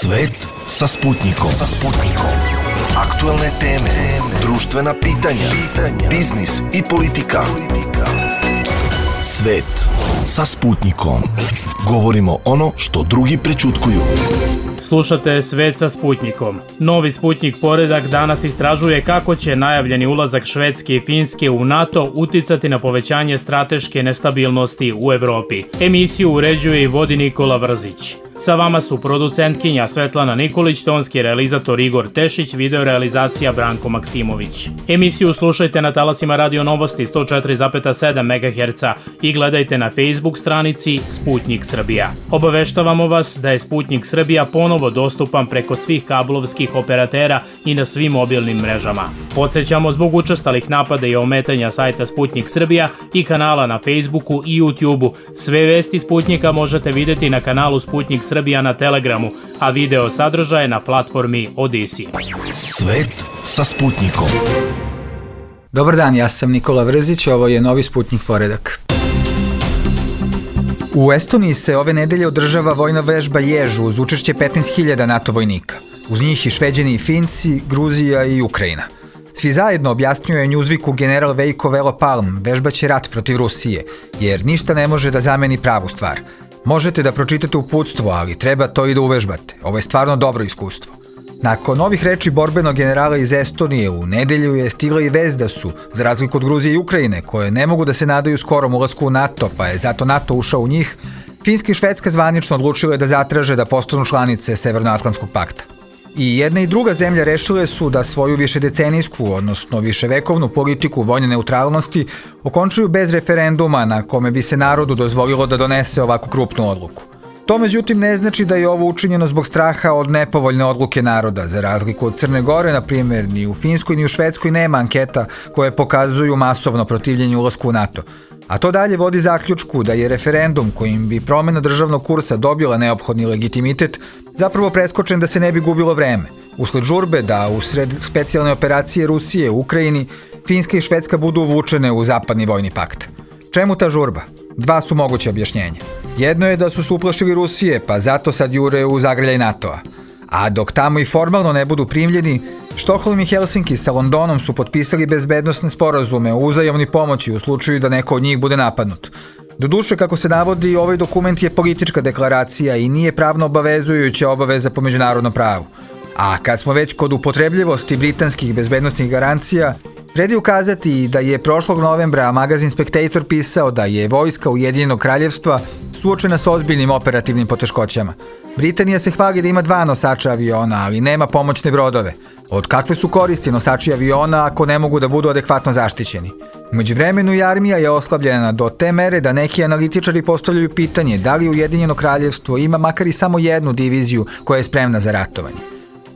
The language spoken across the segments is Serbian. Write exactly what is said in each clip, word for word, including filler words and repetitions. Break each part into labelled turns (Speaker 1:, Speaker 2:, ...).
Speaker 1: Svet sa Sputnikom. Sa Sputnikom. Aktuelne teme, društvena pitanja, pitanja, biznis i politika. Svet sa Sputnikom. Govorimo ono što drugi prećutkuju.
Speaker 2: Slušate Svet sa Sputnikom. Novi Sputnik poredak danas istražuje kako će najavljeni ulazak Švedske i Finske u NATO uticati na povećanje strateške nestabilnosti u Evropi. Emisiju uređuje i vodi Nikola Vrzić. Sa vama su producentkinja Svetlana Nikolić, tonski realizator Igor Tešić, video realizacija Branko Maksimović. Emisiju slušajte na talasima Radio Novosti sto četiri zarez sedam megaherca i gledajte na Facebook stranici Sputnik Srbija. Obaveštavamo vas da je Sputnik Srbija ponovo dostupan preko svih kablovskih operatera i na svim mobilnim mrežama. Podsjećamo, zbog učestalih napada i ometanja sajta Sputnik Srbija i kanala na Facebooku i YouTubeu, sve vesti Sputnika možete vidjeti na kanalu Sputnik Srbija na Telegramu, a video sadržaje na platformi Odisi.
Speaker 1: Svet sa Sputnikom.
Speaker 3: Dobar dan, ja sam Nikola Vrzić, ovo je novi Sputnik poredak. U Estoniji se ove nedelje održava vojna vežba Jež uz učešće petnaest hiljada NATO vojnika. Uz njih i Šveđani i Finci, Gruzija i Ukrajina. Svi zajedno, objasnjuje Newsweeku general Veiko Velo Palm, vežbaće rat protiv Rusije, jer ništa ne može da zameni pravu stvar. Možete da pročitate uputstvo, ali treba to i da uvežbate. Ovo je stvarno dobro iskustvo. Nakon ovih reči borbenog generala iz Estonije, u nedelju je stigla i vest da su, za razliku od Gruzije i Ukrajine, koje ne mogu da se nadaju skorom ulasku u NATO, pa je zato NATO ušao u njih, Finska i Švedska zvanično odlučile da zatraže da postanu članice Severnoatlantskog pakta. I jedna i druga zemlja rešile su da svoju višedecenijsku, odnosno viševekovnu politiku vojne neutralnosti okončuju bez referenduma na kome bi se narodu dozvolilo da donese ovako krupnu odluku. To međutim ne znači da je ovo učinjeno zbog straha od nepovoljne odluke naroda. Za razliku od Crne Gore, na primjer, ni u Finskoj ni u Švedskoj nema anketa koje pokazuju masovno protivljenje ulasku u NATO. A to dalje vodi zaključku da je referendum kojim bi promjena državnog kursa dobila neophodni legitimitet zapravo preskočen da se ne bi gubilo vreme. Usled žurbe da usred specijalne operacije Rusije u Ukrajini, Finska i Švedska budu uvučene u zapadni vojni pakt. Čemu ta žurba? Dva su moguće objašnjenja. Jedno je da su se uplašili Rusije, pa zato sad jure u zagrljaj NATO-a. A dok tamo i formalno ne budu primljeni, Štokholm i Helsinki sa Londonom su potpisali bezbednosne sporazume o uzajamnoj pomoći u slučaju da neko od njih bude napadnut. Doduše, kako se navodi, ovaj dokument je politička deklaracija i nije pravno obavezujuća obaveza po međunarodnom pravu. A kad smo već kod upotrebljivosti britanskih bezbednostnih garancija, vredi ukazati da je prošlog novembra magazin Spectator pisao da je vojska Ujedinjenog kraljevstva suočena s ozbiljnim operativnim poteškoćama. Britanija se hvali da ima dva nosača aviona, ali nema pomoćne brodove. Od kakve su koristi nosači aviona ako ne mogu da budu adekvatno zaštićeni? U međuvremenu i armija je oslabljena do te mere da neki analitičari postavljaju pitanje da li Ujedinjeno kraljevstvo ima makar i samo jednu diviziju koja je spremna za ratovanje.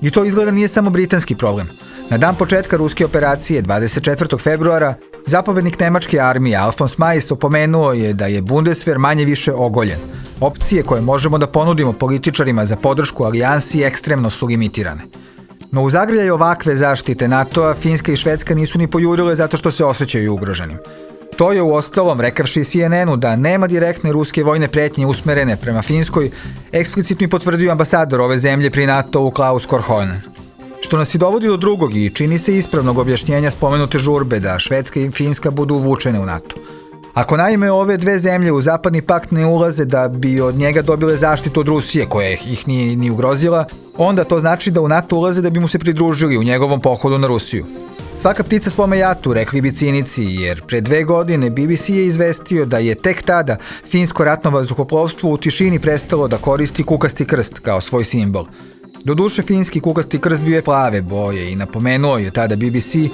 Speaker 3: I to izgleda nije samo britanski problem. Na dan početka ruske operacije, dvadeset četvrtog februara, zapovednik nemačke armije Alfons Majs opomenuo je da je Bundeswehr manje više ogoljen. Opcije koje možemo da ponudimo političarima za podršku alijansi ekstremno su limitirane. No u zagrljaju ovakve zaštite NATO-a, Finska i Švedska nisu ni pojurile zato što se osjećaju ugroženim. To je uostalom, rekavši C N N-u da nema direktne ruske vojne pretnje usmerene prema Finskoj, eksplicitno i potvrdio ambasador ove zemlje pri NATO-u Klaus Korhonen. Što nas i dovodi do drugog i čini se ispravnog objašnjenja spomenute žurbe da Švedska i Finska budu uvučene u NATO. Ako naime ove dve zemlje u zapadni pakt ne ulaze da bi od njega dobile zaštitu od Rusije, koja ih nije ni ugrozila, onda to znači da u NATO ulaze da bi mu se pridružili u njegovom pohodu na Rusiju. Svaka ptica svome jatu, rekli bi cinici, jer pre dve godine B B C je izvestio da je tek tada finsko ratno vazduhoplovstvo u tišini prestalo da koristi kukasti krst kao svoj simbol. Doduše, finski kukasti krst bio je plave boje i napomenuo je tada B B C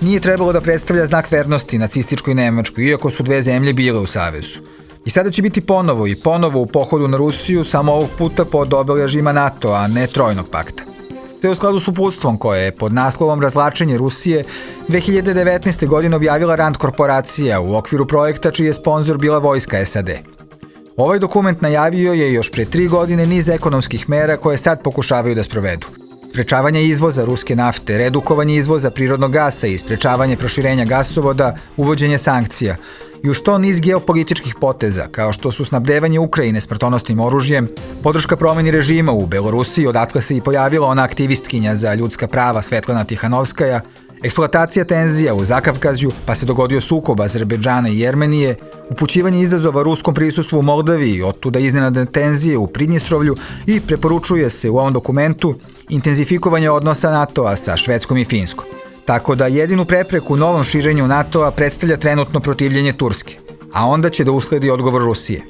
Speaker 3: nije trebalo da predstavlja znak vernosti nacističkoj Nemačkoj, iako su dve zemlje bile u savezu. I sada će biti ponovo i ponovo u pohodu na Rusiju, samo ovog puta pod obeležjima NATO, a ne Trojnog pakta. Sve u skladu s uputstvom koje je pod naslovom Razvlačenje Rusije dve hiljade devetnaeste. godine objavila Rand korporacija u okviru projekta čiji je sponzor bila vojska S A D. Ovaj dokument najavio je još pre tri godine niz ekonomskih mera koje sad pokušavaju da sprovedu. Sprečavanje izvoza ruske nafte, redukovanje izvoza prirodnog gasa i sprečavanje proširenja gasovoda, uvođenje sankcija. i uz to niz geopolitičkih poteza, kao što su snabdevanje Ukrajine smrtonosnim oružjem, podrška promeni režima u Belorusiji, odatle se i pojavila ona aktivistkinja za ljudska prava Svetlana Tihanovskaja, eksploatacija tenzija u Zakavkazju, pa se dogodio sukob Azerbejdžana i Jermenije, upućivanje izazova ruskom prisustvu u Moldaviji, otuda iznenadne tenzije u Pridnjestrovlju i preporučuje se u ovom dokumentu intenzifikovanje odnosa NATO-a sa Švedskom i Finskom. Tako da jedinu prepreku novom širenju NATO-a predstavlja trenutno protivljenje Turske, a onda će da usledi odgovor Rusije.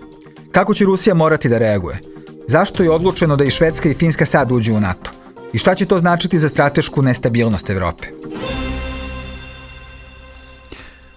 Speaker 3: Kako će Rusija morati da reaguje? Zašto je odlučeno da i Švedska i Finska sad uđu u NATO? I šta će to značiti za stratešku nestabilnost Evrope?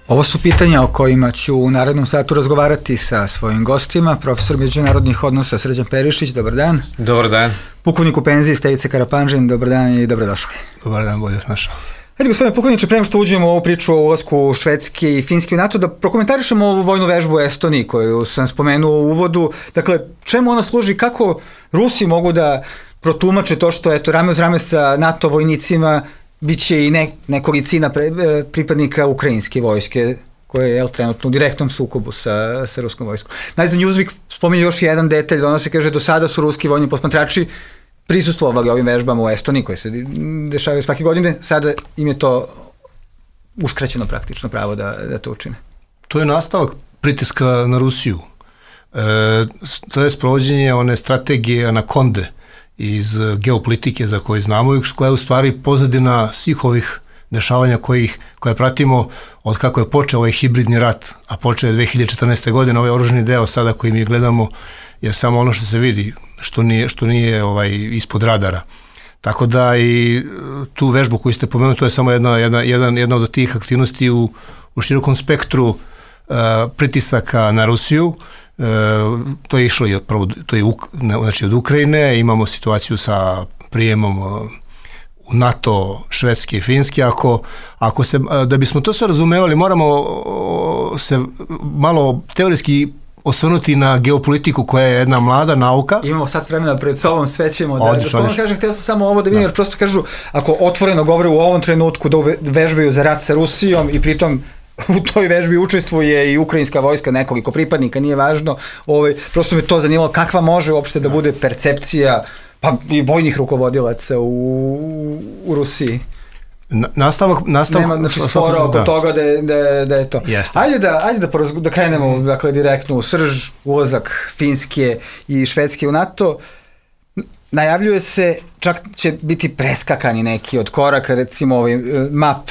Speaker 3: Ovo su pitanja o kojima ću u narednom satu razgovarati sa svojim gostima. Profesor međunarodnih odnosa Srđan Perišić, dobar dan.
Speaker 4: Dobar dan.
Speaker 3: Pukovnik u penziji Stevica Karapanđin, dobar dan i dobrodošli.
Speaker 4: Dobar dan, bolje našao.
Speaker 3: Hajde, gospodine pukovniče, prema što uđemo u ovu priču o ulasku Švedske i Finske u NATO, da prokomentarišemo ovu vojnu vežbu u Estoniji koju sam spomenuo u uvodu. Dakle, čemu ona služi, kako Rusi mogu da protumače to što, eto, rame uz rame sa NATO vojnicima biće i ne, nekolicina pre, pripadnika ukrajinske vojske koje je jel, trenutno u direktnom sukobu sa, sa ruskom vojskom. Najzad Newsweek spominje još jedan detalj, da ono se kaže do sada su ruski vojni posmatrači prisustvovali ovim vežbama u Estoniji koje se dešavaju svake godine, sada im je to uskraćeno praktično pravo da, da to učine.
Speaker 4: To je nastavak pritiska na Rusiju. E, to je sprovođenje one strategije anakonde iz geopolitike za koje znamo i koja je u stvari pozadina svih ovih dešavanja kojih, koje pratimo od kako je počeo ovaj hibridni rat, a počeo je dve hiljade četrnaeste. godine, ovaj oružani deo sada koji mi gledamo je samo ono što se vidi, što nije, što nije ovaj, ispod radara. Tako da i tu vežbu koju ste pomenuli, to je samo jedna, jedna, jedna, jedna od tih aktivnosti u, u širokom spektru uh, pritisaka na Rusiju. Uh, to je išlo i od, prvo, to je uk, znači od Ukrajine, imamo situaciju sa prijemom uh, u NATO, Švedske i Finske. Ako, ako se, uh, da bismo to sve razumevali, moramo uh, se malo teorijski osvrnuti na geopolitiku koja je jedna mlada nauka.
Speaker 3: Imamo sad vremena pred sobom, sve ćemo da...
Speaker 4: Odlično,
Speaker 3: da kažem, htio sam samo ovo da vidim, jer prosto kažu, ako otvoreno govore u ovom trenutku da vežbaju za rat sa Rusijom i pritom u toj vežbi učestvuje i ukrajinska vojska, nekoliko pripadnika, nije važno, ovaj, prosto me to zanimalo kakva može uopšte da bude percepcija pa i vojnih rukovodilaca u, u Rusiji.
Speaker 4: Na, nastavak, nastavak,
Speaker 3: nema znači spora oko da. toga da je, da je, da je to.
Speaker 4: Jeste.
Speaker 3: Ajde da, ajde da, porazgo, da krenemo dakle, direktno u srž, ulazak Finske i Švedske u NATO. Najavljuje se, čak će biti preskakani neki od koraka, recimo ovaj MAP,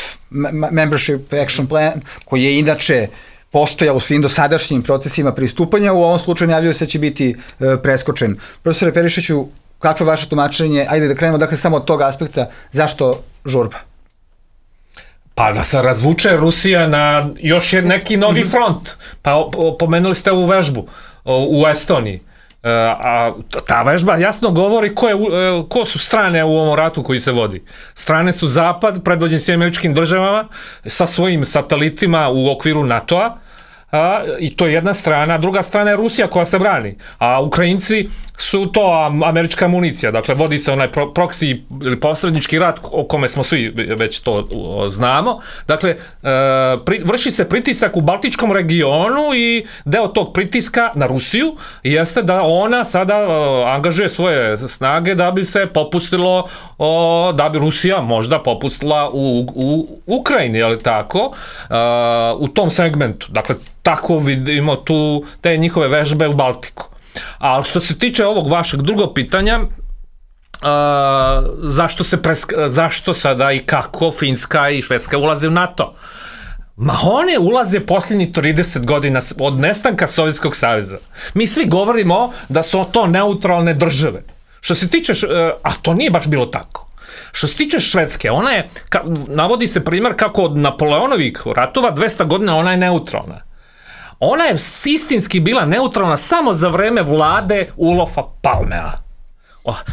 Speaker 3: Membership Action Plan, koji je inače postojao u svim dosadašnjim procesima pristupanja, u ovom slučaju najavljuje se da će biti e, preskočen. Profesore Perišiću, kakvo je vaše tumačenje? Ajde da krenemo dakle samo od tog aspekta, zašto žurba?
Speaker 5: Pa da se razvuče Rusija na još neki novi front. Pa pomenuli ste ovu vežbu u Estoniji. A ta vežba jasno govori ko, je, ko su strane u ovom ratu koji se vodi. Strane su Zapad, predvođen s Američkim državama, sa svojim satelitima u okviru NATO-a, a, i to je jedna strana, druga strana je Rusija koja se brani, a Ukrajinci su to američka municija, dakle vodi se onaj pro, proksi ili posrednički rat o kome smo svi već to o, znamo, dakle e, pri, vrši se pritisak u Baltičkom regionu i deo tog pritiska na Rusiju jeste da ona sada o, angažuje svoje snage da bi se popustilo, o, da bi Rusija možda popustila u, u Ukrajini, je li tako, e, u tom segmentu, dakle tako vidimo tu te njihove vežbe u Baltiku. A što se tiče ovog vašeg drugog pitanja, uh, zašto, se presk, zašto sada i kako Finska i Švedska ulaze u NATO? Ma one ulaze posljednjih trideset godina od nestanka Sovjetskog saveza. Mi svi govorimo da su to neutralne države. Što se tiče, a to nije baš bilo tako. Što se tiče Švedske, ona je, ka, navodi se primjer kako od Napoleonovih ratova dvesta godina ona je neutralna. Ona je istinski bila neutralna samo za vreme vlade Olofa Palmea,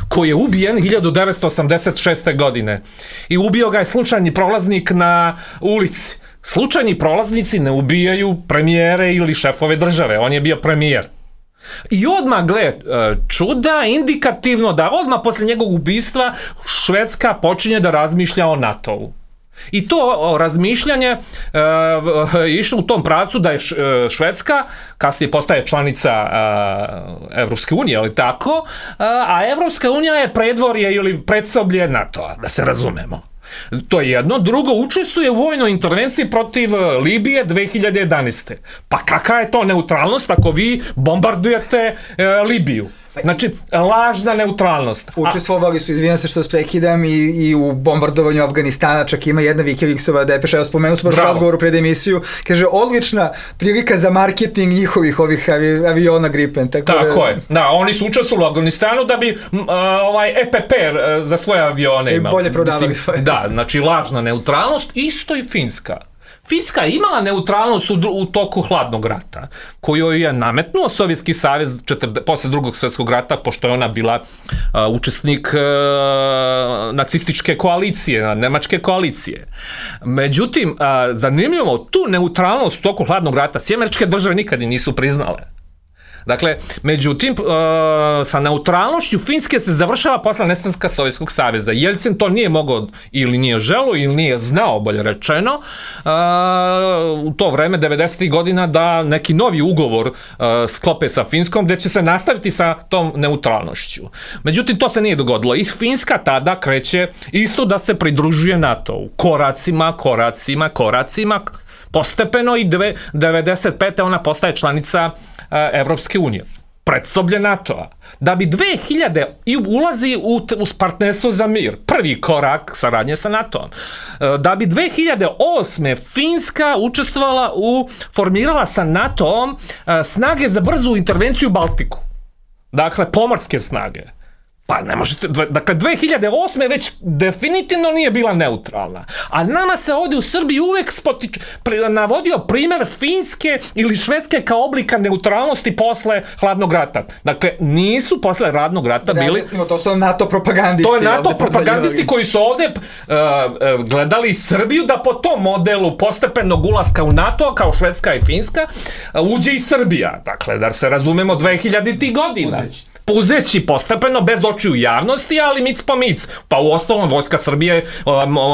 Speaker 5: koji je ubijen hiljadu devetsto osamdeset šeste. godine. I ubio ga je slučajni prolaznik na ulici. Slučajni prolaznici ne ubijaju premijere ili šefove države, on je bio premijer. I odmah, gle, čuda, indikativno da odmah posle njegovog ubistva Švedska počinje da razmišlja o NATO-u. I to razmišljanje e, išlo u tom pravcu da je Švedska, kasnije postaje članica e, Evropske unije, ali tako, a Evropska unija je predvorje ili predsoblje NATO-a, da se razumemo. To je jedno. Drugo, učestvuje u vojnoj intervenciji protiv Libije dve hiljade jedanaeste. Pa kakva je to neutralnost ako vi bombardujete e, Libiju? Znači, lažna neutralnost.
Speaker 3: Učestvovali su, izvinjam se što prekidam, i, i u bombardovanju Afganistana, čak ima jedna Wikileaksova depeša, evo spomenuo smo baš u razgovoru pred emisiju, kaže, odlična prilika za marketing njihovih ovih avi, aviona Gripen. Tako,
Speaker 5: tako
Speaker 3: da,
Speaker 5: je, da, oni su učestvovali u Afganistanu da bi m, a, ovaj E P P za svoje avione imali.
Speaker 3: I bolje prodavali svoje.
Speaker 5: Da, znači lažna neutralnost, isto i Finska. Finska je imala neutralnost u, u toku hladnog rata, koju je nametnuo Sovjetski savez posle drugog svjetskog rata, pošto je ona bila uh, učesnik uh, nacističke koalicije, nemačke koalicije. Međutim, uh, zanimljivo, tu neutralnost u toku hladnog rata Sjedinjene Američke Države nikad nisu priznale. Dakle, međutim, uh, sa neutralnošću Finske se završava posle nestanka Sovjetskog saveza. Jelcin to nije mogao ili nije želeo ili nije znao, bolje rečeno, uh, u to vreme devedesetih godina da neki novi ugovor uh, sklope sa Finskom gde će se nastaviti sa tom neutralnošću. Međutim, to se nije dogodilo. I Finska tada kreće isto da se pridružuje NATO-u. Koracima, koracima, koracima, postepeno i devedeset pete ona postaje članica Evropske unije, predsoblje NATO-a, da bi dve hiljade i ulazi u, u partnerstvo za mir, prvi korak saradnje sa NATO-om, da bi dve hiljade osme Finska učestvovala u, formirala sa NATO-om snage za brzu intervenciju u Baltiku, dakle pomorske snage. Pa ne možete, dakle dve hiljade osme već definitivno nije bila neutralna. A nama se ovdje u Srbiji uvek spotič, pre, navodio primer Finske ili Švedske kao oblika neutralnosti posle hladnog rata. Dakle, nisu posle hladnog rata bili...
Speaker 3: Razlistimo, to su NATO propagandisti.
Speaker 5: To je NATO propagandisti koji su ovdje uh, uh, gledali Srbiju da po tom modelu postepenog ulaska u NATO, kao Švedska i Finska, uh, uđe i Srbija. Dakle, da se razumemo dve hiljaditih godina. Uzeći. Puzeći postepeno, bez očiju javnosti, ali mic po mic. Pa u ostalom vojska Srbije je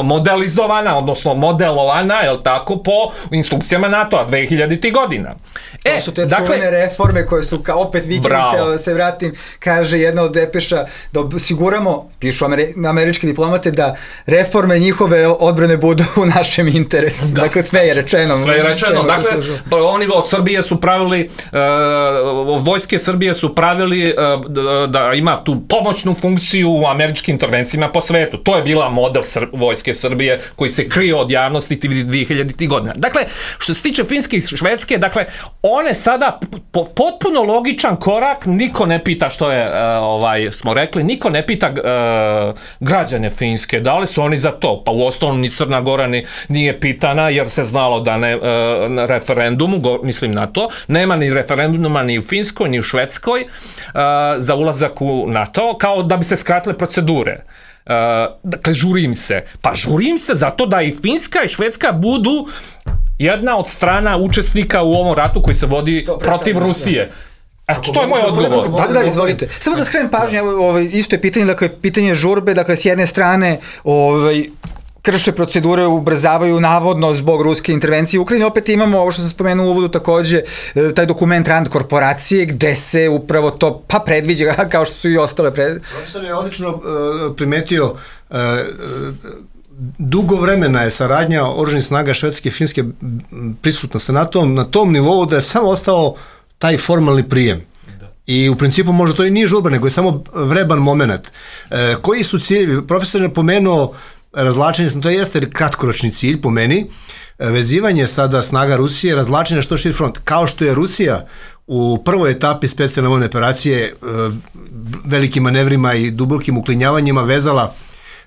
Speaker 5: modelizovana, odnosno modelovana, je tako, po instrukcijama NATO-a dve hiljaditih godina.
Speaker 3: To e, su te dakle, čuvene reforme koje su, ka, opet Wikileaks, da se vratim, kaže jedna od depeša, da osiguramo, pišu ameri, američki diplomate, da reforme njihove odbrane budu u našem interesu. Da. Dakle, sve je rečeno.
Speaker 5: Sve je rečeno. Dakle, oni od Srbije su pravili, uh, vojske Srbije su pravili uh, da ima tu pomoćnu funkciju u američkim intervencijama po svetu. To je bila model Sr- vojske Srbije koji se krije od javnosti dve hiljaditih godina. Dakle, što se tiče Finske i Švedske, dakle, one sada po, potpuno logičan korak, niko ne pita što je, uh, ovaj, smo rekli, niko ne pita uh, građane Finske, da li su oni za to? Pa u ostalom ni Crna Gora ni, nije pitana, jer se znalo da ne, uh, na referendumu, go, mislim na to, nema ni referenduma ni u Finskoj, ni u Švedskoj, uh, za ulazak u NATO, kao da bi se skratile procedure. Uh, dakle, žurim se. Pa žurim se zato da i Finska i Švedska budu jedna od strana učesnika u ovom ratu koji se vodi protiv Rusije. Eto, to je moj odgovor.
Speaker 3: Da, da, izvolite. Samo da skrenem pažnju, ovaj, isto je pitanje, dakle, pitanje žurbe, dakle, s jedne strane, ovaj, krše procedure, ubrzavaju navodno zbog ruske intervencije u Ukrajini. Opet imamo, ovo što sam spomenuo u uvodu takođe, taj dokument Rand korporacije, gde se upravo to pa predviđa, kao što su i ostale pred...
Speaker 4: Profesor je odlično uh, primetio, uh, dugo vremena je saradnja oružanih snaga Švedske i Finske prisutna sa NATO-om na tom nivou da je samo ostao taj formalni prijem. I u principu možda to i nije žurba, nego je samo vreban moment. E, koji su ciljevi? Profesor je pomenuo razvlačenje, to jeste kratkoročni cilj po meni, vezivanje sada snaga Rusije, razvlačenje što širi front. Kao što je Rusija u prvoj etapi specijalne vojne operacije velikim manevrima i dubokim uklinjavanjima vezala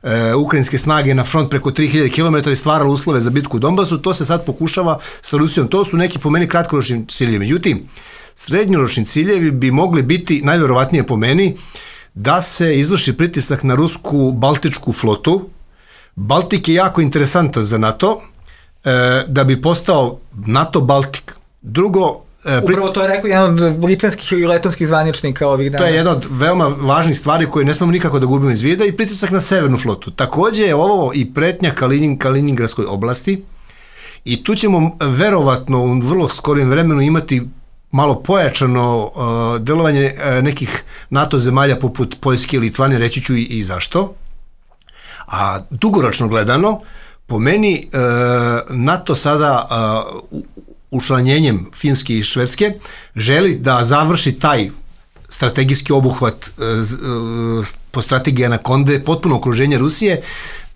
Speaker 4: e, ukrajinske snage na front preko tri hiljade kilometara i stvarala uslove za bitku u Donbasu, to se sad pokušava sa Rusijom. To su neki po meni kratkoročni ciljevi. Međutim, srednjoročni ciljevi bi mogli biti, najverovatnije po meni, da se izvrši pritisak na rusku baltičku flotu. Baltik je jako interesantan za NATO, e, da bi postao NATO Baltik. Drugo,
Speaker 3: Upravo to je rekao jedan od litvanskih i letonskih zvaničnika ovih dana.
Speaker 4: To je jedna od veoma važnih stvari koje ne smemo nikako da gubimo iz vida i pritisak na severnu flotu. Takođe je ovo i pretnja Kalinin, Kaliningradskoj oblasti i tu ćemo verovatno u vrlo skorim vremenu imati malo pojačano uh, delovanje uh, nekih NATO zemalja poput Poljske i Litvane, reći ću i, i zašto. A dugoročno gledano, po meni uh, NATO sada uh, učlanjenjem Finske i Švedske želi da završi taj strategijski obuhvat uh, uh, po strategiji Anakonde, potpuno okruženje Rusije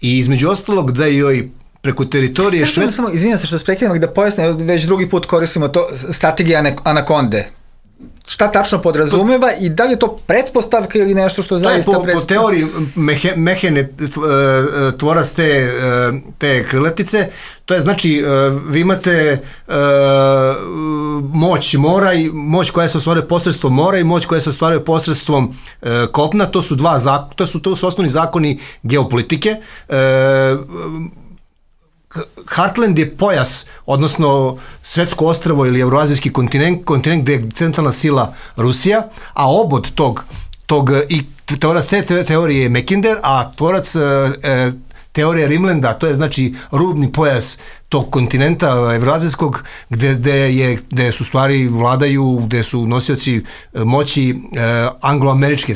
Speaker 4: i između ostalog da joj preko teritorije Švedske...
Speaker 3: Samo, izvinjam se što se prekidam, da pojasnim, već drugi put koristimo to, strategija Anakonde. Šta tačno podrazumeva i da li je to pretpostavka ili nešto što zaista
Speaker 4: predstavlja? To je po, po teoriji mehe, Mehene, tvorac te, te krilatice, to je znači vi imate moć mora i moć koja se ostvaruje posredstvom mora i moć koja se ostvaruje posredstvom kopna, to su dva, to su, to su osnovni zakoni geopolitike. Heartland je pojas, odnosno svetsko ostrvo ili evroazijski kontinent, kontinent gde je centralna sila Rusija, a obod tog, tog i tvorac te teorije je Mackinder, a tvorac e, teorije Rimlanda, to je znači rubni pojas tog kontinenta evroazijskog, gde, gde, je, gde su stvari vladaju, gde su nosioci moći e, angloamerički,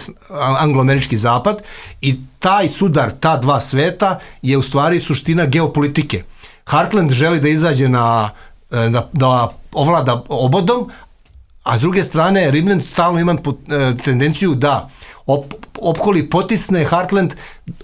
Speaker 4: angloamerički zapad i taj sudar, ta dva sveta je u stvari suština geopolitike. Heartland želi da izađe na, na da ovlada obodom, a s druge strane Rimland stalno ima tendenciju da op, opkoli potisne Heartland,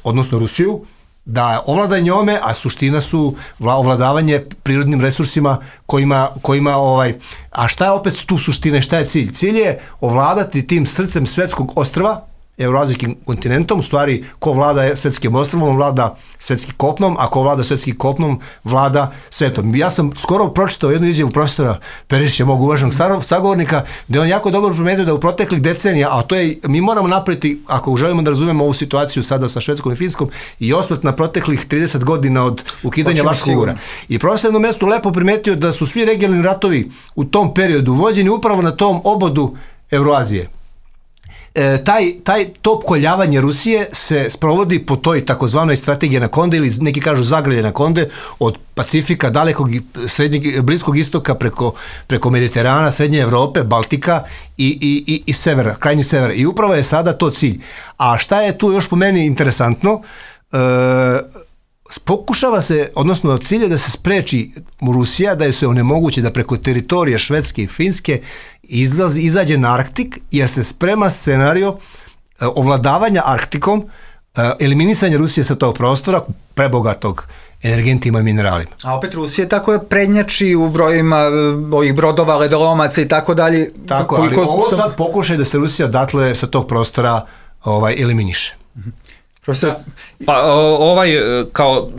Speaker 4: odnosno Rusiju, da ovlada njome, a suština su ovladavanje prirodnim resursima kojima, kojima ovaj, a šta je opet tu suština, šta je cilj? Cilj je ovladati tim srcem svetskog ostrva, evroazijskim kontinentom, u stvari ko vlada svetskim ostrvom, vlada svetskim kopnom, a ko vlada svetskim kopnom, vlada svetom. Ja sam skoro pročitao jednu izjavu profesora Perišića, mog uvaženog sagovornika, gde on jako dobro primetio da u proteklih decenija, a to je, mi moramo napraviti, ako želimo da razumemo ovu situaciju sada sa Švedskom i Finskom, i osvrt na proteklih trideset godina od ukidanja Varšavskog ugovora. I profesor jednom mestu lepo primetio da su svi regionalni ratovi u tom periodu vođeni upravo na tom obodu Evroazije. E, taj, taj to opkoljavanje Rusije se sprovodi po toj takozvanoj strategiji Anakonde ili neki kažu zagrlje Anakonde od Pacifika, dalekog srednjeg, bliskog istoka preko, preko Mediterana, Srednje Evrope, Baltika i, i, i, i severa, krajnji severa. I upravo je sada to cilj. A šta je tu još po meni interesantno? E, pokušava se, odnosno cilj je da se spreči Rusija, da je se onemogući da preko teritorije Švedske i Finske izlazi, izađe na Arktik, jer se sprema scenario e, ovladavanja Arktikom, e, eliminisanja Rusije sa tog prostora, prebogatog energentima i mineralima.
Speaker 3: A opet Rusija tako je prednjači u brojima ovih brodova, ledolomaca i tako dalje.
Speaker 4: Tako, ali ovo sad pokušaj da se Rusija datle sa tog prostora ovaj, eliminiše.
Speaker 5: Profesor? Pa ovaj kao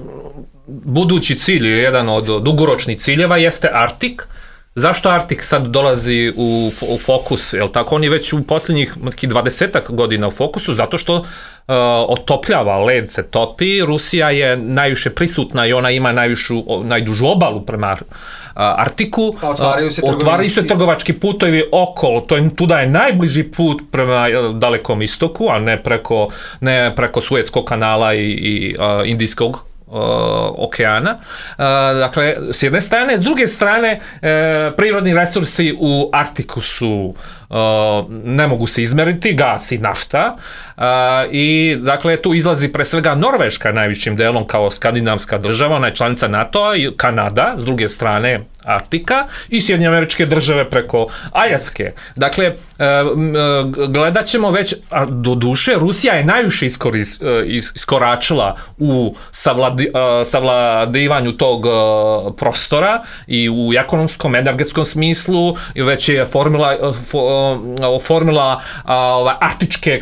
Speaker 5: budući cilj, jedan od dugoročnih ciljeva jeste Arktik. Zašto Arktik sad dolazi u, u fokus? Jel tako? On je već u posljednjih dvadesetak godina u fokusu, zato što uh, otopljava, led se topi, Rusija je najviše prisutna i ona ima najvišu, najdužu obalu prema uh, Arktiku.
Speaker 3: Otvaraju se,
Speaker 5: uh, otvaraju se trgovački putovi okolo, to je, tuda je najbliži put prema dalekom istoku, a ne preko, ne preko Suetskog kanala i, i uh, Indijskog Uh, okeana. Uh, dakle, s jedne strane, s druge strane, uh, prirodni resursi u Arktiku su uh, ne mogu se izmeriti, gas i nafta uh, i dakle tu izlazi pre svega Norveška najvišim delom kao skandinavska država, ona je članica NATO-a i Kanada, s druge strane Arktika i Sjedinjene Američke Države preko Aljaske. Dakle, gledat ćemo već, a do duše, Rusija je najviše iskoris, iskoračila u savladi, savladivanju tog prostora i u ekonomskom, energetskom smislu, već je formula, formula arktičke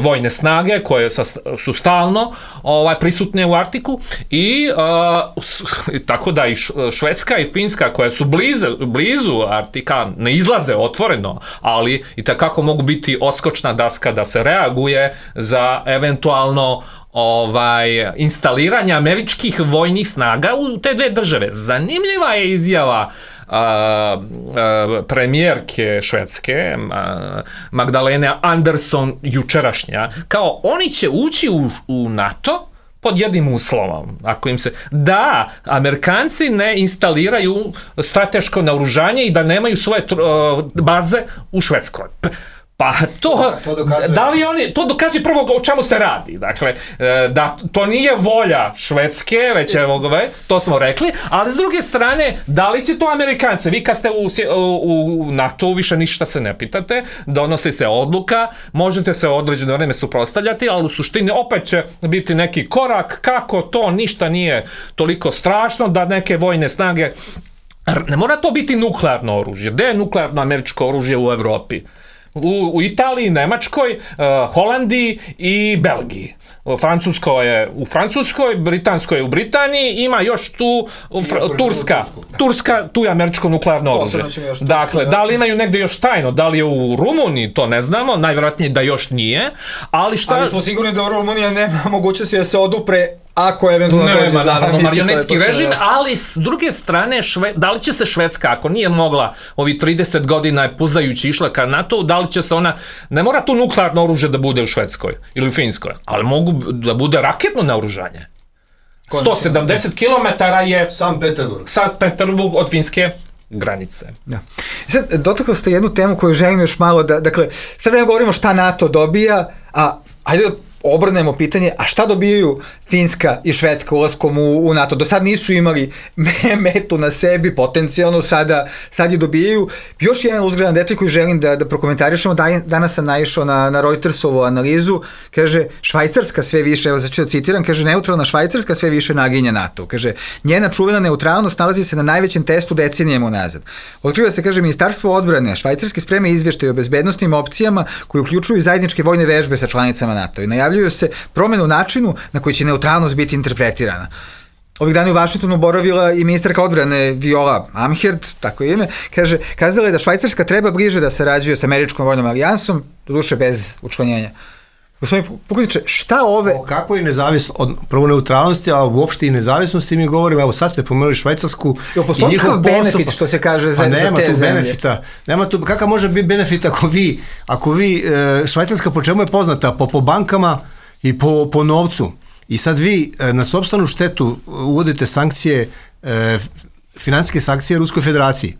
Speaker 5: vojne snage koje su stalno prisutne u Arktiku i tako da i Švedska i Finska koje su blizu, blizu Arktika ne izlaze otvoreno, ali i takako mogu biti odskočna daska da se reaguje za eventualno ovaj, instaliranja američkih vojnih snaga u te dve države. Zanimljiva je izjava a, a, premijerke Švedske, a, Magdalene Andersson, jučerašnja, kao oni će ući u, u NATO pod jednim uslovom, ako im se, da Amerikanci ne instaliraju strateško naoružanje i da nemaju svoje uh, baze u Švedskoj. Pa to,
Speaker 4: to dokazuje.
Speaker 5: Da li oni, to dokazuje prvo o čemu se radi. Dakle, da to nije volja Švedske, već je, to smo rekli, ali s druge strane, da li će to Amerikance? Vi kad ste u, u, u NATO više ništa se ne pitate, donosi se odluka, možete se određeno vreme suprotstavljati, ali u suštini opet će biti neki korak, kako to ništa nije toliko strašno, da neke vojne snage, ne mora to biti nuklearno oružje. Gde je nuklearno američko oružje u Evropi? U, u Italiji, Nemačkoj, uh, Holandiji i Belgiji. Francusko je u Francuskoj, Britansko je u Britaniji, ima još tu fr- Turska. Turska, tu je američko nuklearno oružje. Dakle, da li imaju negde još tajno, da li je u Rumuniji, to ne znamo, najvjerojatnije da još nije, ali šta...
Speaker 3: Ali smo sigurni da u Rumunija nema mogućnosti da se odupre ako eventualno dođe za
Speaker 5: naravno marionetski režim, ali s druge strane, šve, da li će se Švedska, ako nije mogla ovi trideset godina je puzajući išla ka NATO, da li će se ona, ne mora tu nuklearno oružje da bude u Švedskoj ili u Finskoj, ali mogu da bude raketno naoružanje. sto sedamdeset kilometara je
Speaker 4: San Peterburg.
Speaker 5: San Peterburg od finske granice.
Speaker 3: Da. Sad, dotakli ste jednu temu koju želim još malo da, dakle, sad vreme govorimo šta NATO dobija, a ajde da obrnemo pitanje, a šta dobijaju Finska i Švedska ulaskom u, u NATO? Do sad nisu imali metu na sebi, potencijalno, sada, sad je dobijaju. Još jedan uzgradan detalj koji želim da, da prokomentarišemo, danas sam naišao na, na Reutersovu analizu, kaže, Švajcarska sve više, evo ću da citiram, kaže, neutralna Švajcarska sve više naginja NATO. Kaže, njena čuvena neutralnost nalazi se na najvećem testu decenijama unazad. Otkriva se, kaže, Ministarstvo odbrane Švajcarske spreme izveštaje o bezbednosnim opcijama koji uključuju zajedničke vojne vežbe sa članicama NATO i najavljuju se promenu načinu na koji će neutralnost biti interpretirana. Ovih dana u Vašingtonu boravila i ministarka odbrane Viola Amherd, tako je ime, kaže, kazala je da Švajcarska treba bliže da sarađuje sa američkom vojnom alijansom, doduše bez učlanjenja. Gospodin Pukliče, šta ove...
Speaker 4: O kako je nezavisno, od prvo neutralnosti, a uopšte i nezavisnosti mi govorimo, evo sad ste pomenuli Švajcarsku
Speaker 3: jo, i njihov benefit, postup, što se kaže za,
Speaker 4: nema
Speaker 3: za te
Speaker 4: tu
Speaker 3: zemlje.
Speaker 4: Benefita, nema tu, kakav može biti benefit ako vi, ako vi, Švajcarska po čemu je poznata? Po, po bankama i po, po novcu. I sad vi na sopstvenu štetu uvodite sankcije, finansijske sankcije Ruskoj federaciji.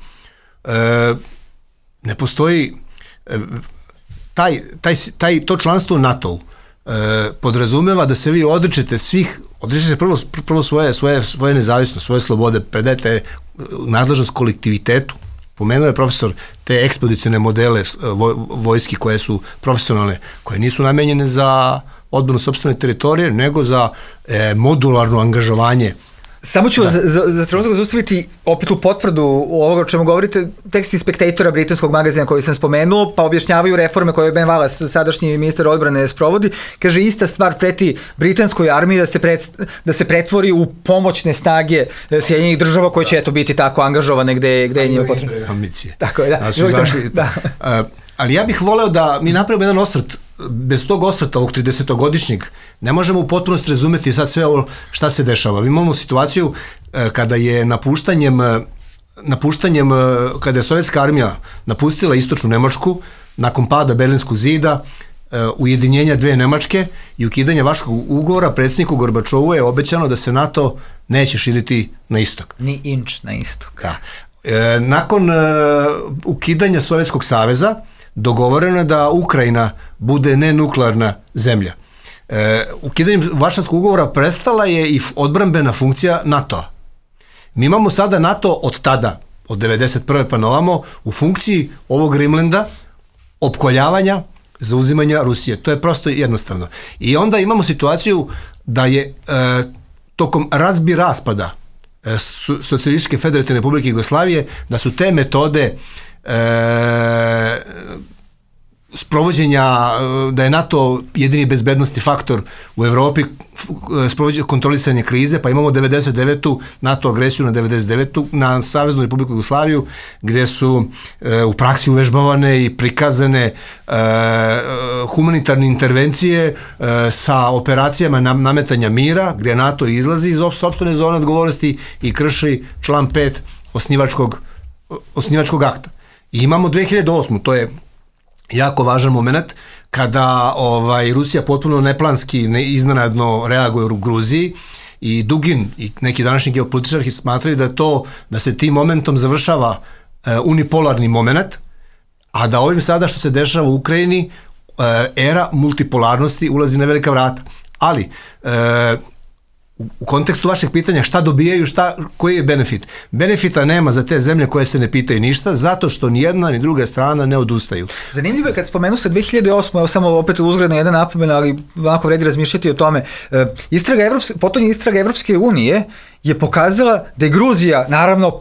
Speaker 4: Ne postoji... Taj, taj, taj, to članstvo u NATO-u e, podrazumeva da se vi odričete svih, odričete prvo, prvo svoje, svoje, svoje nezavisnost, svoje slobode, predajete nadležnost kolektivitetu. Pomenuo je profesor te ekspedicijne modele voj, vojski koje su profesionalne, koje nisu namenjene za odbranu sopstvene teritorije, nego za e, modularno angažovanje.
Speaker 3: Samo ću za, za, za trenutak zaustaviti opet u potvrdu ovoga o čemu govorite, tekst Inspektatora britanskog magazina koji sam spomenuo, pa objašnjavaju reforme koje Ben Wallace, sadašnji ministar odbrane, sprovodi. Kaže, ista stvar preti britanskoj armiji da se, pred, da se pretvori u pomoćne snage Sjedinjenih država koje će eto biti tako angažovane gde, gde je njima potrebno.
Speaker 4: Ambicije.
Speaker 3: Tako je, da.
Speaker 4: da, su zašli, da. Uh, ali ja bih voleo da mi napravimo jedan osvrt. Bez tog osvrta ovog tridesetogodišnjeg ne možemo u potpunosti razumeti sad sve ovo šta se dešava. Mi imamo situaciju e, kada je napuštanjem, napuštanjem, kada je sovjetska armija napustila istočnu Nemačku nakon pada Berlinskog zida, e, ujedinjenja dve Nemačke i ukidanja Varšavskog ugovora, predsjedniku Gorbačovu je obećano da se NATO neće širiti na istok.
Speaker 3: Ni inč na istok.
Speaker 4: Da. E, nakon e, ukidanja Sovjetskog saveza dogovoreno je da Ukrajina bude nenuklearna zemlja. E, ukidanjem Varšavskog ugovora prestala je i odbrambena funkcija NATO-a. Mi imamo sada NATO od tada, od devedeset prve pa novamo, u funkciji ovog Rimlanda, opkoljavanja, zauzimanja Rusije. To je prosto jednostavno. I onda imamo situaciju da je e, tokom razbi raspada e, Socijalističke federativne republike Jugoslavije, da su te metode E, sprovođenja, da je NATO jedini bezbednosti faktor u Evropi, kontrolisanje krize, pa imamo devedeset devetu NATO agresiju na devedeset devetu na Saveznu Republiku Jugoslaviju, gde su e, u praksi uvežbavane i prikazane e, humanitarne intervencije e, sa operacijama nam, nametanja mira, gde NATO izlazi iz sopstvene zone odgovornosti i krši član pet osnivačkog, osnivačkog akta. I imamo dve hiljade osmu, to je jako važan moment, kada ovaj, Rusija potpuno neplanski, ne, iznenadno reaguje u Gruziji i Dugin i neki današnji geopolitičari smatraju da to, da se tim momentom završava e, unipolarni moment, a da ovim sada što se dešava u Ukrajini e, era multipolarnosti ulazi na velika vrata. Ali e, u kontekstu vašeg pitanja šta dobijaju, šta, koji je benefit? Benefita nema za te zemlje koje se ne pitaju ništa, zato što ni jedna ni druga strana ne odustaju.
Speaker 3: Zanimljivo je kad spomenu ste dve hiljade osme, evo samo opet uzgredno jedan napomen, ali ovako vredi razmišljati o tome. Istraga Evropske, potonja istraga Evropske unije je pokazala da je Gruzija, naravno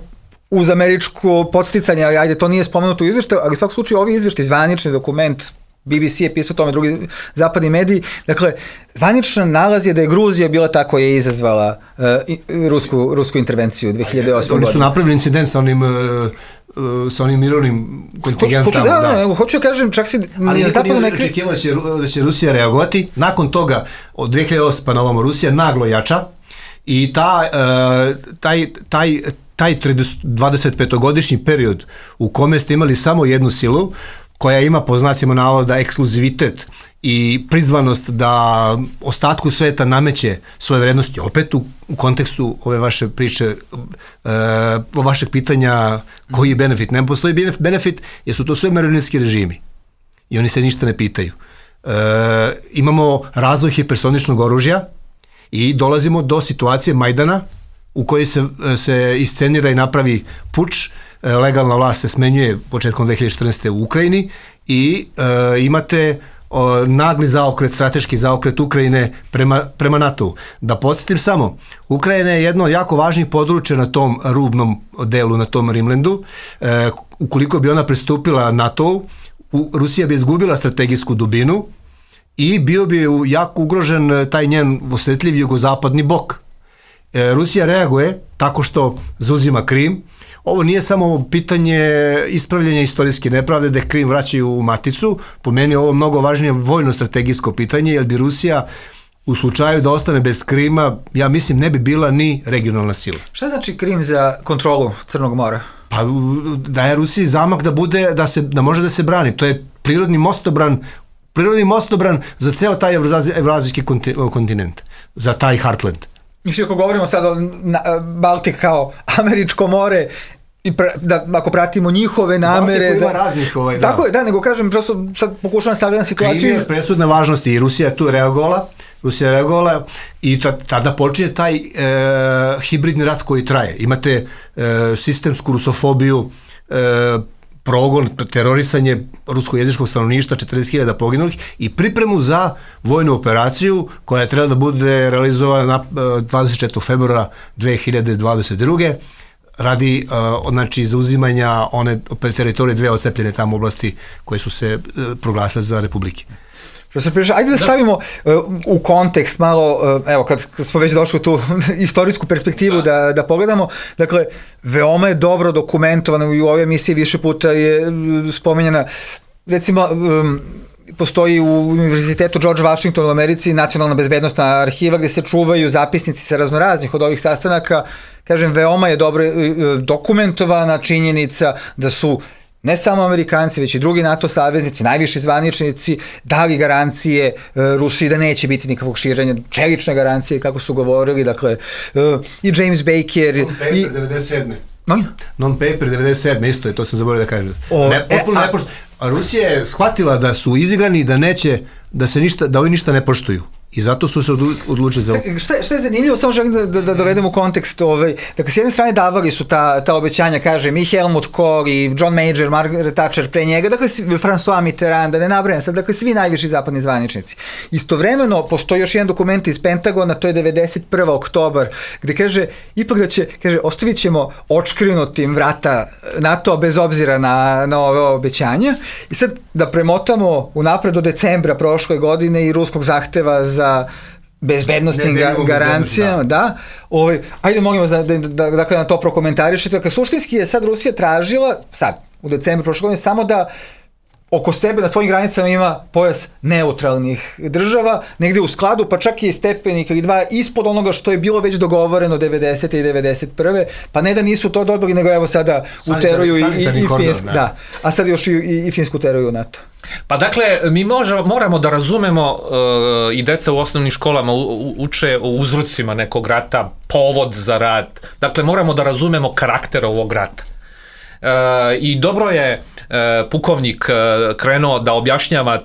Speaker 3: uz američko podsticanje, ali ajde, to nije spomenuto u izveštaju, ali u svakom slučaju ovi izveštaj, zvanični dokument, B B C je pisao o tome, drugi zapadni mediji. Dakle, zvaničan nalaz je da je Gruzija bila ta koja je izazvala uh, rusku, rusku intervenciju dve hiljade osme.
Speaker 4: Oni su napravili incident sa onim, uh, uh, sa onim mirovnim kontingentom.
Speaker 3: Hoću, da, da, da. Hoću da kažem, čak si...
Speaker 4: Ali niko nije očekivao da će, da će Rusija reagovati. Nakon toga, od dve hiljade osme pa na ovamo, Rusija naglo jača i ta, uh, taj, taj, taj dvadesetpetogodišnji period u kome ste imali samo jednu silu, koja ima po znacima navoda ekskluzivitet i prizvanost da ostatku sveta nameće svoje vrednosti, opet u, u kontekstu ove vaše priče, e, o vašeg pitanja koji je benefit. Ne postoji benefit jer su to sve marionetski režimi i oni se ništa ne pitaju. E, imamo razvoj hipersoničnog oružja i dolazimo do situacije Majdana u kojoj se, se iscenira i napravi puč. Legalna vlast se smenjuje početkom dve hiljade četrnaeste. u Ukrajini i e, imate o, nagli zaokret, strateški zaokret Ukrajine prema, prema NATO-u. Da podsjetim samo, Ukrajina je jedno od jako važnih područja na tom rubnom delu, na tom Rimlandu. E, ukoliko bi ona pristupila NATO-u, Rusija bi izgubila strategijsku dubinu i bio bi jako ugrožen taj njen osjetljiv jugozapadni bok. E, Rusija reaguje tako što zauzima Krim. Ovo nije samo pitanje ispravljanja istorijske nepravde da Krim vraćaju u maticu, po meni je ovo mnogo važnije vojno-strategijsko pitanje, jer bi Rusija u slučaju da ostane bez Krima, ja mislim, ne bi bila ni regionalna sila.
Speaker 3: Šta znači Krim za kontrolu Crnog mora?
Speaker 4: Pa da je Rusiji zamak da bude, da, se, da može da se brani. To je prirodni mostobran, prirodni mostobran za ceo taj evrazijski kontinent, za taj Heartland.
Speaker 3: Mislim, ako govorimo sad o Baltik kao američko more, i pra, da, ako pratimo njihove namere...
Speaker 4: Baltiku ima
Speaker 3: da,
Speaker 4: raznih ovaj, da.
Speaker 3: Tako je, da, nego kažem, prosto sad pokušavam sagledati situaciju...
Speaker 4: Krim je presudne važnosti i Rusija je tu reagovala, Rusija je reagovala i tada počinje taj e, hibridni rat koji traje. Imate e, sistemsku rusofobiju, e, progon, terorisanje ruskojezičkog stanovništva, četrdeset hiljada poginulih i pripremu za vojnu operaciju koja je trebala da bude realizovana na dvadeset četvrtog februara dve hiljade dvadeset druge radi uh, znači zauzimanja one teritorije dve odcepljene tamo oblasti koje su se uh, proglasile za republike.
Speaker 3: Ajde da stavimo uh, u kontekst malo, uh, evo kad smo već došli u tu istorijsku perspektivu da. Da, da pogledamo, dakle, veoma je dobro dokumentovano i u ovoj emisiji više puta je spomenjena, recimo, um, postoji u Univerzitetu George Washington u Americi nacionalna bezbednostna arhiva gde se čuvaju zapisnici sa raznoraznih od ovih sastanaka. Kažem, veoma je dobro dokumentovana činjenica da su ne samo Amerikanci, već i drugi NATO saveznici, najviši zvaničnici, dali garancije Rusiji da neće biti nikakvog širenja, čelične garancije, kako su govorili, dakle, i James Baker...
Speaker 4: Non-paper
Speaker 3: i
Speaker 4: devedeset sedme.
Speaker 3: No?
Speaker 4: Non-paper devedeset sedme, isto je, to sam zaboravio da kažem.
Speaker 3: O,
Speaker 4: ne, potpuno
Speaker 3: e, a,
Speaker 4: nepošt... a Rusija je shvatila da su izigrani i da neće, da se ništa, da ovi ništa ne poštuju. I zato su se odlučili za...
Speaker 3: Šta, šta je zanimljivo, samo želim da, da, da dovedem u kontekst, ovaj, dakle, s jedne strane davali su ta, ta obećanja, kažem, i Helmut Kohl, i John Major, Margaret Thatcher pre njega, dakle, François Mitterrand, da ne nabrajam sad, dakle, svi najviši zapadni zvaničnici. Istovremeno, postoji još jedan dokument iz Pentagona, to je devedeset prvi oktobar, gde kaže, ipak da će, kaže, ostavit ćemo očkrinutim vrata NATO bez obzira na, na ove obećanja. I sad, da premotamo unapred do decembra prošle godine i ruskog zahteva za za bezbednostnim ga, garancijama, da. da. Ovaj, ajde, molim vas da, da, da, da na to prokomentarišete. Dakle, suštinski je sad Rusija tražila, sad, u decembru prošle godine, samo da oko sebe na svojim granicama ima pojas neutralnih država, negde u skladu, pa čak i stepenik ili dva ispod onoga što je bilo već dogovoreno devedesete i devedeset prve pa ne da nisu to dobili, nego evo sada uteruju i, i, i Finsku, da, a sad još i, i, i Finsku uteruju u NATO.
Speaker 5: Pa dakle, mi možemo, moramo da razumemo uh, i deca u osnovnim školama u, u, uče o uzrocima nekog rata, povod za rat, dakle moramo da razumemo karakter ovog rata. Uh, I dobro je uh, pukovnik uh, krenuo da objašnjava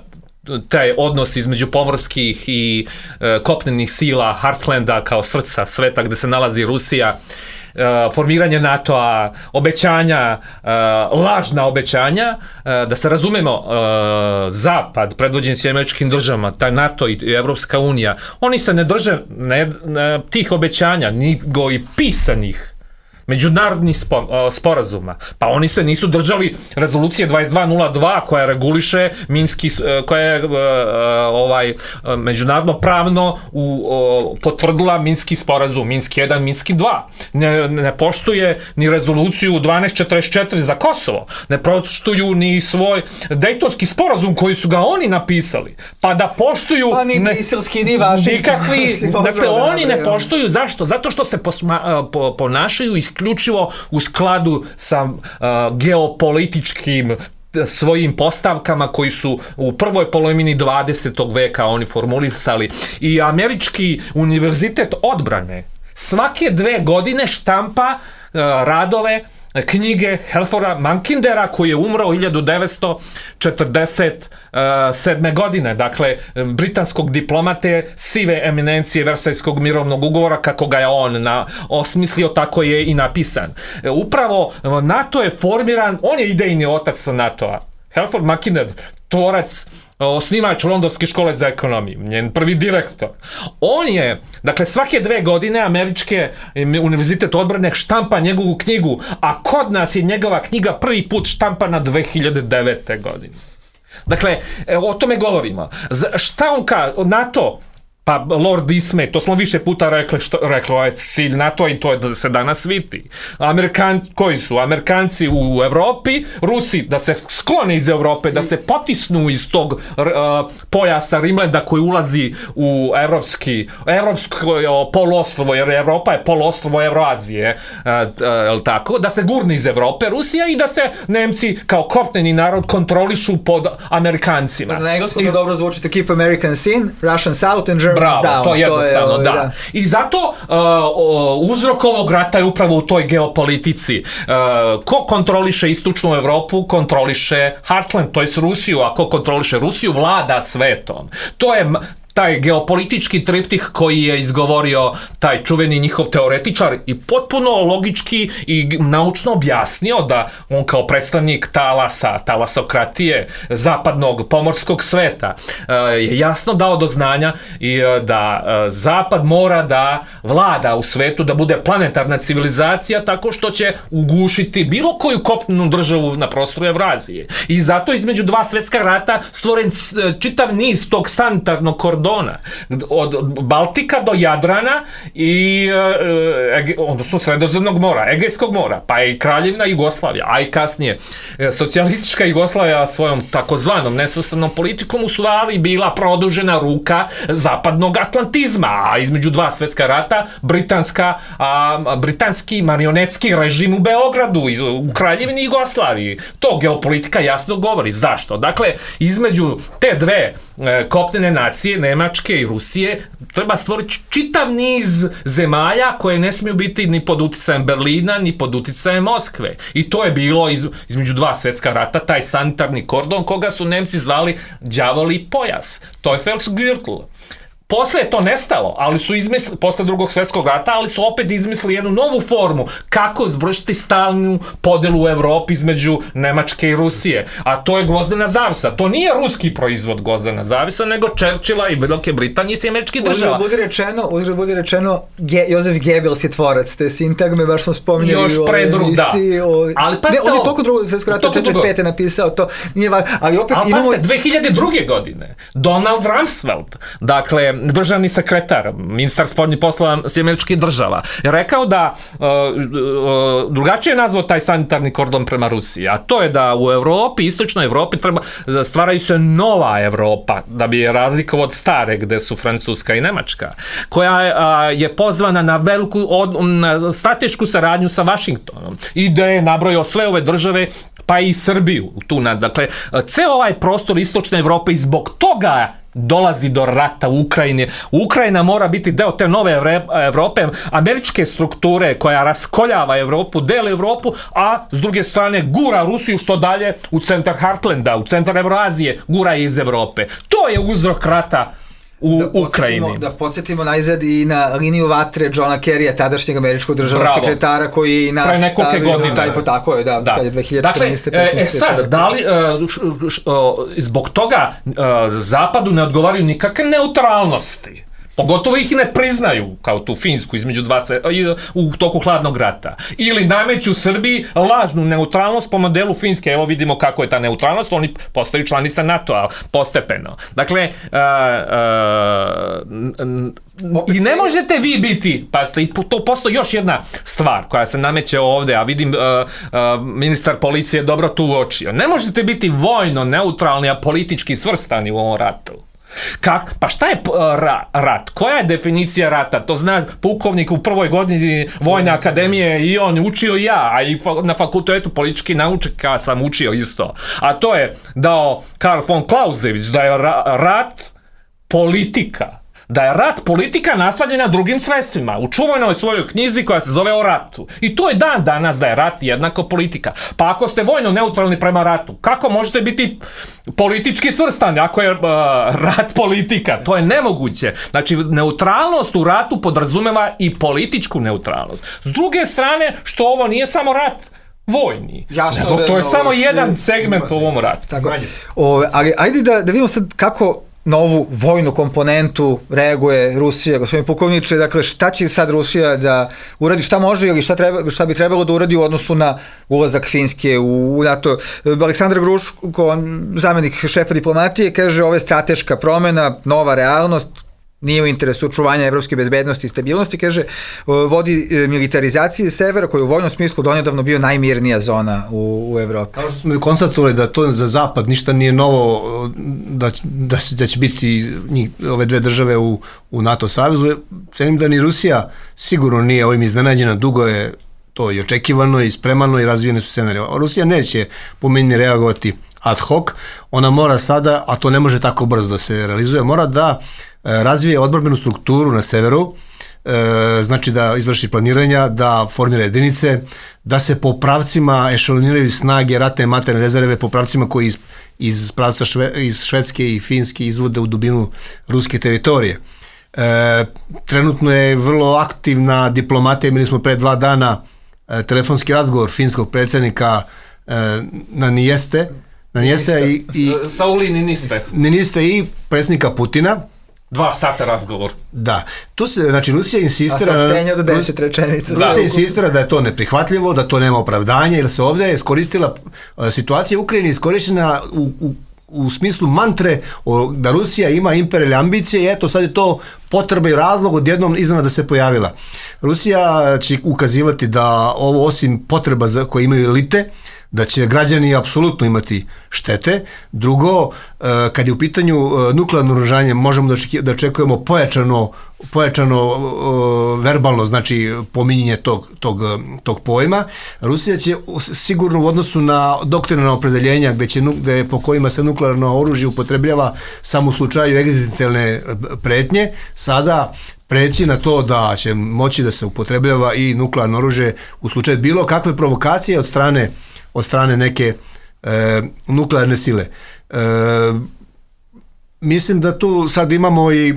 Speaker 5: taj odnos između pomorskih i uh, kopnenih sila Heartlanda kao srca sveta gde se nalazi Rusija, uh, formiranje NATO-a, obećanja, uh, lažna obećanja, uh, da se razumemo, uh, Zapad, predvođen s Američkim državama, taj NATO i Evropska unija, oni se ne drže ne, ne, tih obećanja, nego i pisanih međunarodnih spo, sporazuma. Pa oni se nisu držali rezolucije dvadeset dva nula dva koja reguliše Minski, koja je ovaj međunarodno pravno u, o, potvrdila Minski sporazum, Minski jedan, Minski dva. Ne, ne poštuje ni rezoluciju dvanaest četrdeset četiri za Kosovo. Ne poštuju ni svoj Dejtonski sporazum koji su ga oni napisali. Pa da poštuju...
Speaker 3: Pa ni briselski, ni vaši.
Speaker 5: Nikakvi, dakle, oni ne poštuju. Zašto? Zato što se posma, po, ponašaju iz isključivo u skladu sa uh, geopolitičkim svojim postavkama koji su u prvoj polovini dvadesetog veka oni formulisali. I Američki univerzitet odbrane svake dve godine štampa uh, radove, knjige Halforda Mankindera koji je umro hiljadu devetsto četrdeset sedme. godine, dakle britanskog diplomate sive eminencije Versajskog mirovnog ugovora, kako ga je on na, osmislio, tako je i napisan. Upravo NATO je formiran, on je idejni otac NATO-a. Halford Mackinder, tvorac, osnivač Londonske škole za ekonomiju, njen prvi direktor. On je, dakle, svake dve godine Američke univerzitet odbrane štampa njegovu knjigu, a kod nas je njegova knjiga prvi put štampana dve hiljade devete. godine. Dakle, o tome govorimo. Šta on ka, NATO, pa Lord Ismay, to smo više puta rekli, što, rekli, ovo je cilj NATO i to je da se danas vidi. Amerikan, koji su? Amerikanci u Evropi, Rusi da se sklone iz Evrope, da se potisnu iz tog uh, pojasa Rimlanda koji ulazi u evropski, evropsko poluostrvo, jer Evropa je poluostrvo Evroazije, uh, uh, tako, da se gurne iz Evrope Rusija i da se Nemci kao kopneni narod kontrolišu pod Amerikancima.
Speaker 3: Na engleskom to dobro zvuči, to keep Americans in, Russian south and German
Speaker 5: Bravo,
Speaker 3: down.
Speaker 5: to je jednostavno,
Speaker 3: to je,
Speaker 5: da.
Speaker 3: da.
Speaker 5: I zato uh, uzrok ovog rata je upravo u toj geopolitici. Uh, ko kontroliše istočnu Evropu, kontroliše Heartland, to je Rusiju, a ko kontroliše Rusiju, vlada svetom. To je taj geopolitički triptih koji je izgovorio taj čuveni njihov teoretičar i potpuno logički i naučno objasnio da on kao predstavnik talasa, talasokratije, zapadnog pomorskog sveta je jasno dao do znanja i da Zapad mora da vlada u svetu, da bude planetarna civilizacija tako što će ugušiti bilo koju kopnenu državu na prostoru Evrazije. I zato između dva svetska rata stvoren čitav niz tog sanitarnog kordona od Baltika do Jadrana i e, odnosno Sredozemnog mora, Egejskog mora, pa i Kraljevina Jugoslavija, a i kasnije socijalistička Jugoslavija svojom takozvanom nesvrstanom politikom u stvari bila produžena ruka zapadnog atlantizma, a između dva svetska rata britanska, a, britanski marionetski režim u Beogradu, u Kraljevini Jugoslaviji. To geopolitika jasno govori. Zašto? Dakle, između te dve e, kopnene nacije, Nemačke i Rusije, treba stvoriti čitav niz zemalja koje ne smiju biti ni pod uticajem Berlina, ni pod uticajem Moskve. I to je bilo iz, između dva svetska rata, taj sanitarni kordon koga su Nemci zvali đavoli pojas. Teufelsgürtel. Posle je to nestalo, ali su izmislili, posle drugog svjetskog rata, ali su opet izmislili jednu novu formu kako vršiti stalnu podelu u Evropi između Nemačke i Rusije. A to je gvozdena zavisa. To nije ruski proizvod gvozdena zavisa, nego Churchilla i Velike Britanije i američkih država.
Speaker 3: Uzgled budi rečeno, uzgled budi rečeno, Ge, Josef Goebbels je tvorac te sintagme, baš smo spominjali
Speaker 5: još pre drug, da.
Speaker 3: O...
Speaker 5: Ali pa
Speaker 3: ne, on je toliko drugog svjetskog rata četrdeset pete napisao, to nije važno. Ali opet
Speaker 5: ali
Speaker 3: imamo...
Speaker 5: pa dve hiljade druge. godine, Donald Rumsfeld, dakle, državni sekretar, ministar spoljnih poslova američkih država, je rekao da uh, uh, drugačije je nazvao taj sanitarni kordon prema Rusiji, a to je da u Evropi, istočnoj Evropi, treba, stvaraju se nova Evropa, da bi je razlikovao od stare, gde su Francuska i Nemačka, koja uh, je pozvana na veliku od, na stratešku saradnju sa Vašingtonom i da je nabrojao sve ove države, pa i Srbiju. Tu, na, dakle, ceo ovaj prostor istočne Evrope i zbog toga dolazi do rata u Ukrajini. Ukrajina mora biti deo te nove Evrope, američke strukture koja raskoljava Evropu, dele Evropu, a s druge strane gura Rusiju što dalje u centar Heartlanda, u centar Evroazije, gura je iz Evrope. To je uzrok rata u da Ukrajini.
Speaker 3: Da podsjetimo najzad i na liniju vatre Johna Kerrya, tadašnjeg američkog državnog
Speaker 5: Bravo.
Speaker 3: sekretara, koji nas
Speaker 5: pre nekoliko godina.
Speaker 3: Taj, po, tako je, da,
Speaker 5: da.
Speaker 3: kad je dve hiljade četrnaeste.
Speaker 5: Dakle, e, sad, da li, š, š, zbog toga Zapadu ne odgovaraju nikakve neutralnosti. Pogotovo ih ne priznaju, kao tu Finsku između dva se, u toku hladnog rata. Ili nameću Srbiji lažnu neutralnost po modelu Finske. Evo vidimo kako je ta neutralnost, oni postaju članica NATO-a postepeno. Dakle, a, a, i ne možete vi biti, pa i to postoji još jedna stvar koja se nameće ovde, a vidim a, a, ministar policije dobro tu uočio. Ne možete biti vojno neutralni, a politički svrstani u ovom ratu. Kak? Pa šta je ra, rat? Koja je definicija rata? To zna pukovnik u prvoj godini Vojne akademije i on učio i ja, a i na fakultetu politički naučnika sam učio isto. A to je dao Karl von Clausewitz, da je ra, rat politika. Da je rat politika nastavljena drugim sredstvima. U čuvenoj svojoj knjizi koja se zove O ratu. I to je dan danas da je rat jednako politika. Pa ako ste vojno neutralni prema ratu, kako možete biti politički svrstani ako je uh, rat politika? To je nemoguće. Znači, neutralnost u ratu podrazumeva i političku neutralnost. S druge strane, što ovo nije samo rat vojni. Jasno, nego to je da, samo jedan segment u ovom ratu.
Speaker 3: Tako. O, ali ajde da, da vidimo sad kako na ovu vojnu komponentu reaguje Rusija, gospodin pukovniče, dakle šta će sad Rusija da uradi, šta može ili šta, treba, šta bi trebalo da uradi u odnosu na ulazak Finske u NATO. Aleksandar Gruško, zamjenik šefa diplomatije, kaže ovo je strateška promena, nova realnost, nije u interesu očuvanja evropske bezbednosti i stabilnosti, kaže, vodi militarizaciji severa koji u vojnom smislu donedavno bio najmirnija zona u, u Evropi.
Speaker 4: Kao što smo konstatovali da to za Zapad ništa nije novo, da, da, da će biti njih, ove dve države u, u NATO savezu, cenim da ni Rusija sigurno nije ovim iznenađena, dugo je to i očekivano i spremano i razvijene su scenarije. Rusija neće po meni reagovati ad hoc, ona mora sada, a to ne može tako brzo da se realizuje, mora da razvije odbrambenu strukturu na severu, e, znači da izvrši planiranja, da formira jedinice, da se po pravcima ešaloniraju snage, ratne materijalne rezerve, po pravcima koji iz, iz pravca šve, iz Švedske i Finske izvode u dubinu ruske teritorije. E, trenutno je vrlo aktivna diplomatija, imali smo pre dva dana e, telefonski razgovor finskog predsjednika e, na Nijeste, na Nijeste i, i
Speaker 5: Sauli Niniste.
Speaker 4: Niniste i predsjednika Putina.
Speaker 5: Dva sata razgovor.
Speaker 4: Da. Tu se, znači, Rusija insistira...
Speaker 3: A saopštenje od deset rečenica.
Speaker 4: Rusija da. insistira da je to neprihvatljivo, da to nema opravdanja, jer se ovdje je iskoristila situacija u Ukrajini, iskorištena u, u, u smislu mantre o, da Rusija ima imperijalne ambicije i eto sad je to potreba i razlog odjednom iznenada se pojavila. Rusija će ukazivati da ovo osim potreba za koje imaju elite, da će građani apsolutno imati štete. Drugo, kad je u pitanju nuklearno oružanje, možemo da očekujemo pojačano, pojačano verbalno, znači pominjenje tog, tog, tog pojma. Rusija će sigurno u odnosu na doktrinalna opredeljenja gde će, gde, po kojima se nuklearno oružje upotrebljava samo u slučaju egzistencijalne pretnje, sada preći na to da će moći da se upotrebljava i nuklearno oružje u slučaju bilo kakve provokacije od strane od strane neke e, nuklearne sile. E, mislim da tu sad imamo i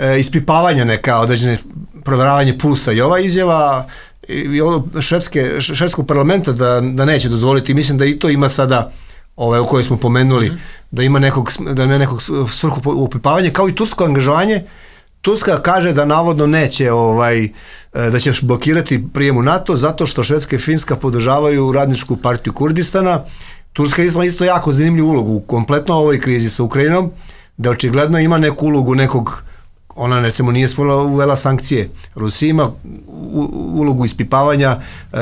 Speaker 4: e, ispipavanja neka, određene proveravanje pulsa i ova izjava i ono švedske, švedskog parlamenta da, da neće dozvoliti, mislim da i to ima sada ove o kojoj smo pomenuli, mm-hmm. da ima nekog, da ima nekog svrhu upipavanja, kao i tursko angažovanje. Turska kaže da navodno neće ovaj, da će blokirati prijem u NATO zato što Švedska i Finska podržavaju radničku partiju Kurdistana. Turska ima isto jako zanimljivu ulogu u kompletno ovoj krizi sa Ukrajinom, da očigledno ima neku ulogu nekog, ona recimo nije spolila uvela sankcije. Rusija ima ulogu ispipavanja, e,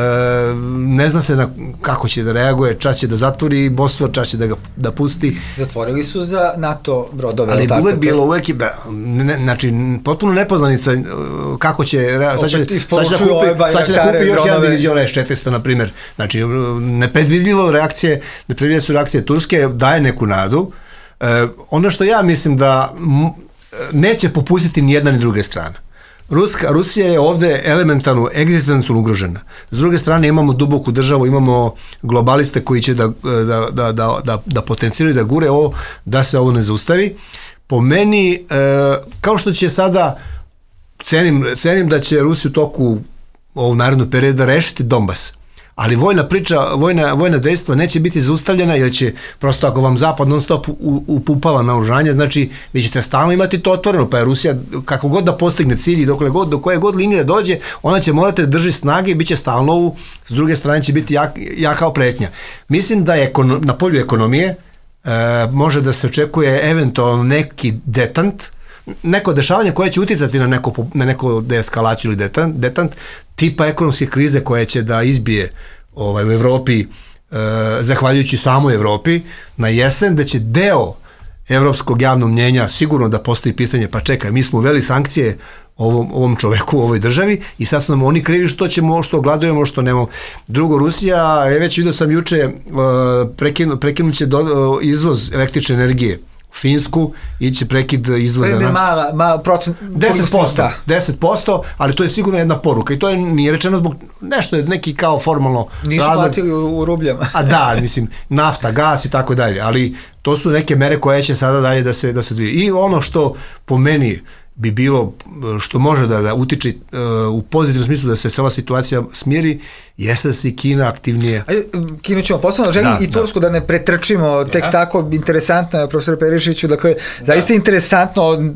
Speaker 4: ne zna se na kako će da reaguje, čas će da zatvori Bosfor, čas će da ga da pusti.
Speaker 3: Zatvorili su za NATO brodove.
Speaker 4: Ali uvek bilo, uvek je, ne, znači, potpuno nepoznanica kako će, sad će, sad će da kupi, sad će da kupi još jedan divizion S četiristo, na primjer. Znači, nepredvidljivo reakcije, nepredvidljive su reakcije Turske, daje neku nadu. E, ono što ja mislim da neće popustiti ni jedna ni druga strana. Ruska, Rusija je ovde elementarno, egzistencijalno ugrožena. S druge strane imamo duboku državu, imamo globaliste koji će da, da, da, da, da, da potenciraju, da gure ovo, da se ovo ne zaustavi. Po meni, e, kao što će sada, cenim, cenim da će Rusija u toku ovog narednog perioda rešiti Donbas. Ali vojna priča, vojna, vojna dejstva neće biti zaustavljena, jer će prosto ako vam Zapad non stop upupava naoružanje, znači vi ćete stalno imati to otvoreno, pa je Rusija kako god da postigne cilj i dokle god, do koje god linije dođe, ona će morati da drži snage i bit će stalno u, s druge strane će biti jak, jaka pretnja. Mislim da je na polju ekonomije e, može da se očekuje eventualno neki detant, neko dešavanje koje će uticati na neko, na neko deeskalaciju ili detant, detant, tipa ekonomske krize koje će da izbije ovaj, u Evropi, e, zahvaljujući samoj Evropi, na jesen, da će deo evropskog javnog mnjenja sigurno da postoji pitanje, pa čekaj, mi smo uveli sankcije ovom, ovom čoveku u ovoj državi i sad su nam oni krivi što ćemo, što gladujemo, što nemamo. Drugo, Rusija, je već vidio sam juče, e, prekinu, prekinut će do, e, izvoz električne energije Finsku, iće prekid izvoza na
Speaker 3: mala, mala procent,
Speaker 4: deset posto, deset posto, ali to je sigurno jedna poruka i to je nije rečeno zbog nešto je neki kao formalno
Speaker 3: nisu razlog, platili u, u rubljama.
Speaker 4: A da, mislim, nafta, gas i tako dalje, ali to su neke mere koje će sada dalje da se da se dvije. I ono što po meni bi bilo, što može da, da utiče uh, u pozitivnom smislu da se ova situacija smiri, jeste da se i Kina aktivnije...
Speaker 3: Ajde, Kinu ćemo posebno, želim da, i Tursku da. da ne pretrčimo, tek ja. Tako interesantno, profesor Perišiću, dakle, da. Zaista interesantno,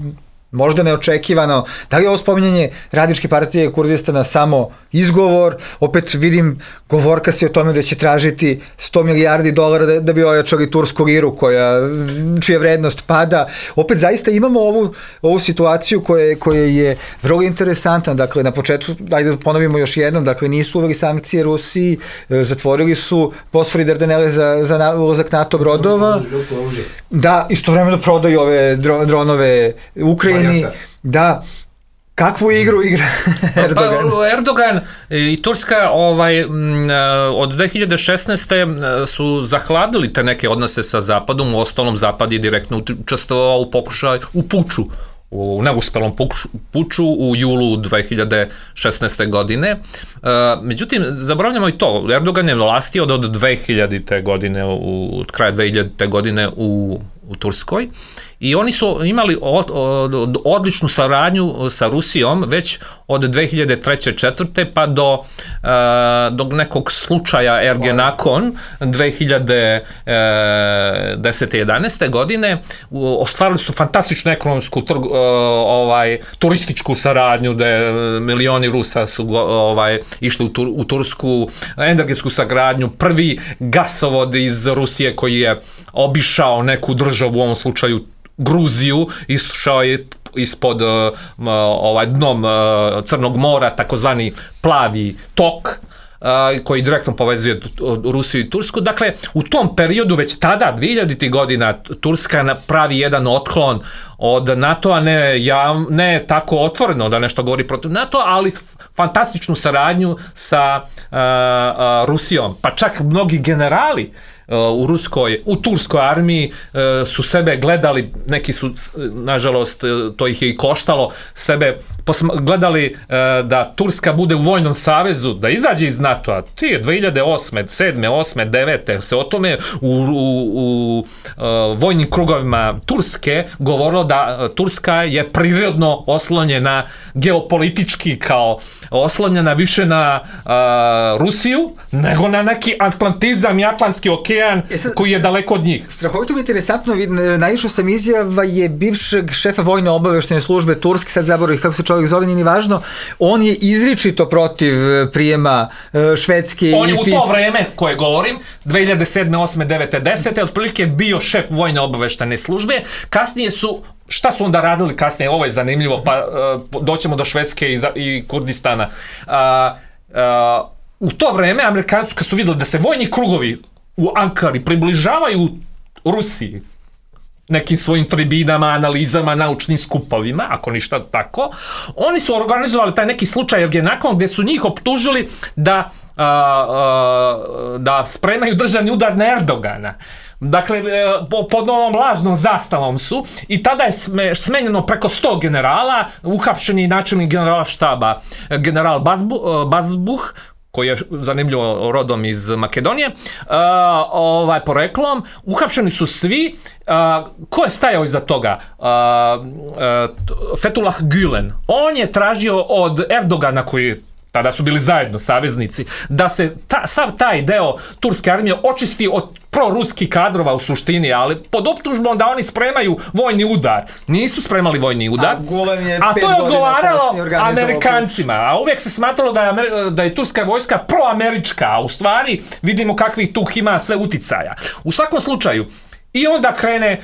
Speaker 3: možda neočekivano, da li je ovo spominjanje Radničke partije Kurdistana samo izgovor, opet vidim govorka se o tome da će tražiti sto milijardi dolara da, da bi ojačali tursku liru koja, čija vrednost pada. Opet zaista imamo ovu, ovu situaciju koja, koja je vrlo interesantna, dakle na početku, ajde da ponovimo još jednom, dakle nisu uveli sankcije Rusiji, zatvorili su Bosfor i Dardanele za, za ulazak NATO brodova, da istovremeno prodaju ove dro, dronove Ukrajini, da, kakvu igru igra Erdogan?
Speaker 5: Pa, Erdogan i Turska ovaj, od dve hiljade šesnaeste. su zahladili te neke odnose sa Zapadom, u ostalom Zapad je direktno učestvovao u pokušaju, u puču, u neuspelom puču u julu dve hiljade šesnaeste. godine. Međutim, zaboravljamo i to, Erdogan je vlasti od, od dve hiljadite. godine, u, od kraja dve hiljadite. godine u, u Turskoj i oni su imali od, od, odličnu saradnju sa Rusijom već od dve hiljade treće. četvrte. pa do, uh, do nekog slučaja Ergenekon dve hiljade desete. jedanaeste. godine. Ostvarili su fantastičnu ekonomsku trg, uh, ovaj, turističku saradnju da milioni Rusa su ovaj, išli u, Tur, u Tursku, energetsku sagradnju, prvi gasovod iz Rusije koji je obišao neku državu, u ovom slučaju Gruziju, išao je ispod uh, ovaj dnom uh, Crnog mora, takozvani plavi tok, uh, koji direktno povezuje Rusiju i Tursku. Dakle, u tom periodu, već tada, dve hiljaditih. godina, Turska pravi jedan otklon od NATO-a, ne, ja, ne tako otvoreno da nešto govori protiv NATO-a, ali fantastičnu saradnju sa uh, uh, Rusijom. Pa čak mnogi generali u ruskoj, u turskoj armiji su sebe gledali, neki su, nažalost, to ih je i koštalo, sebe gledali da Turska bude u vojnom savezu, da izađe iz NATO-a. Ti je dve hiljade osme, sedme, osme, devete se o tome u, u, u vojnim krugovima Turske govorilo da Turska je prirodno oslonjena geopolitički kao oslonjena više na uh, Rusiju nego na neki atlantizam i atlantski okean e sad, koji je daleko od njih.
Speaker 3: Strahovito mi je interesantno, naišao sam izjava je bivšeg šefa vojne obaveštene službe Turske, sad zaboravih kako se čovjek zove, nije ni važno, on je izričito protiv prijema Švedske i
Speaker 5: on je u to vreme koje govorim, dve hiljade sedme, osme, devete, desete otprilike bio šef vojne obaveštene službe, kasnije su šta su onda radili kasnije, ovo je zanimljivo, pa uh, doćemo do Švedske i, i Kurdistana. Uh, uh, u to vreme Amerikanci kad su vidjeli da se vojni krugovi u Ankari približavaju Rusiji nekim svojim tribinama, analizama, naučnim skupovima, ako ništa tako, oni su organizovali taj neki slučaj Ergenekon gdje su njih optužili da, uh, uh, da spremaju državni udar na Erdogana. Dakle, pod ovom lažnom zastavom su i tada je smenjeno preko sto generala, uhapšen je načelnik generala štaba, general Bazbu, Bazbuh, koji je zanimljivo rodom iz Makedonije, uh, ovaj, poreklom, uhapšeni su svi. Uh, ko je stajao iza toga? Uh, uh, Fethullah Gülen. On je tražio od Erdogana, koji tada su bili zajedno saveznici, da se ta, sav taj deo turske armije očisti od proruskih kadrova u suštini, ali pod optužbom da oni spremaju vojni udar. Nisu spremali vojni udar,
Speaker 3: a, je
Speaker 5: a to je odgovaralo Amerikancima. A uvijek se smatralo da je, da je turska vojska proamerička, a u stvari vidimo kakvih tu ima sve uticaja. U svakom slučaju, i onda krene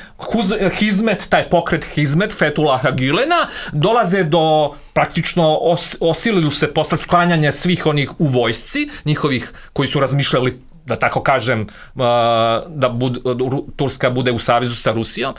Speaker 5: Hizmet, taj pokret Hizmet, Fethullaha Gülena, dolaze do, praktično os, osilili se posle sklanjanja svih onih u vojsci, njihovih koji su razmišljali, da tako kažem, da bud, Turska bude u savezu sa Rusijom.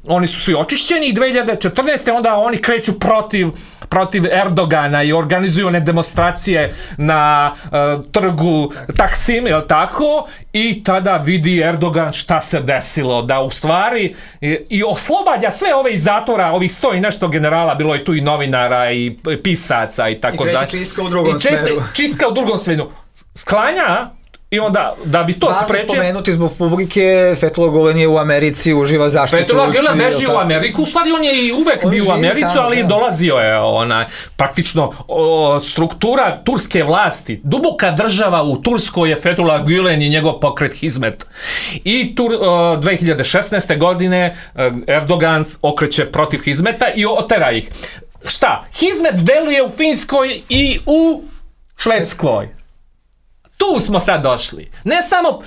Speaker 5: Oni su svi očišćeni i dve hiljade četrnaeste. onda oni kreću protiv, protiv Erdogana i organizuju one demonstracije na uh, trgu Taksim, je li tako? I tada vidi Erdogan šta se desilo, da u stvari i, i oslobađa sve ove iz zatvora, ovih sto i nešto generala, bilo je tu i novinara i pisaca i tako dalje.
Speaker 3: I kreće čistka u drugom
Speaker 5: I česte,
Speaker 3: smeru.
Speaker 5: Čistka u drugom smeru. Sklanja. I onda, da bi to sprečio...
Speaker 3: Važno spomenuti zbog publike, Fethullah Gülen je u Americi, uživa zaštitu.
Speaker 5: Fethullah Gülen beži u Ameriku, u stvari on je i uvek on bio u Americu, tamo, ali da. dolazio je ona, praktično o, struktura turske vlasti, duboka država u Turskoj je Fethullah Gülen i njegov pokret Hizmet. I tur, o, dve hiljade šesnaeste. godine Erdogan okreće protiv Hizmeta i otera ih. Šta? Hizmet deluje u Finskoj i u Švedskoj. Tu smo sad došli. Ne samo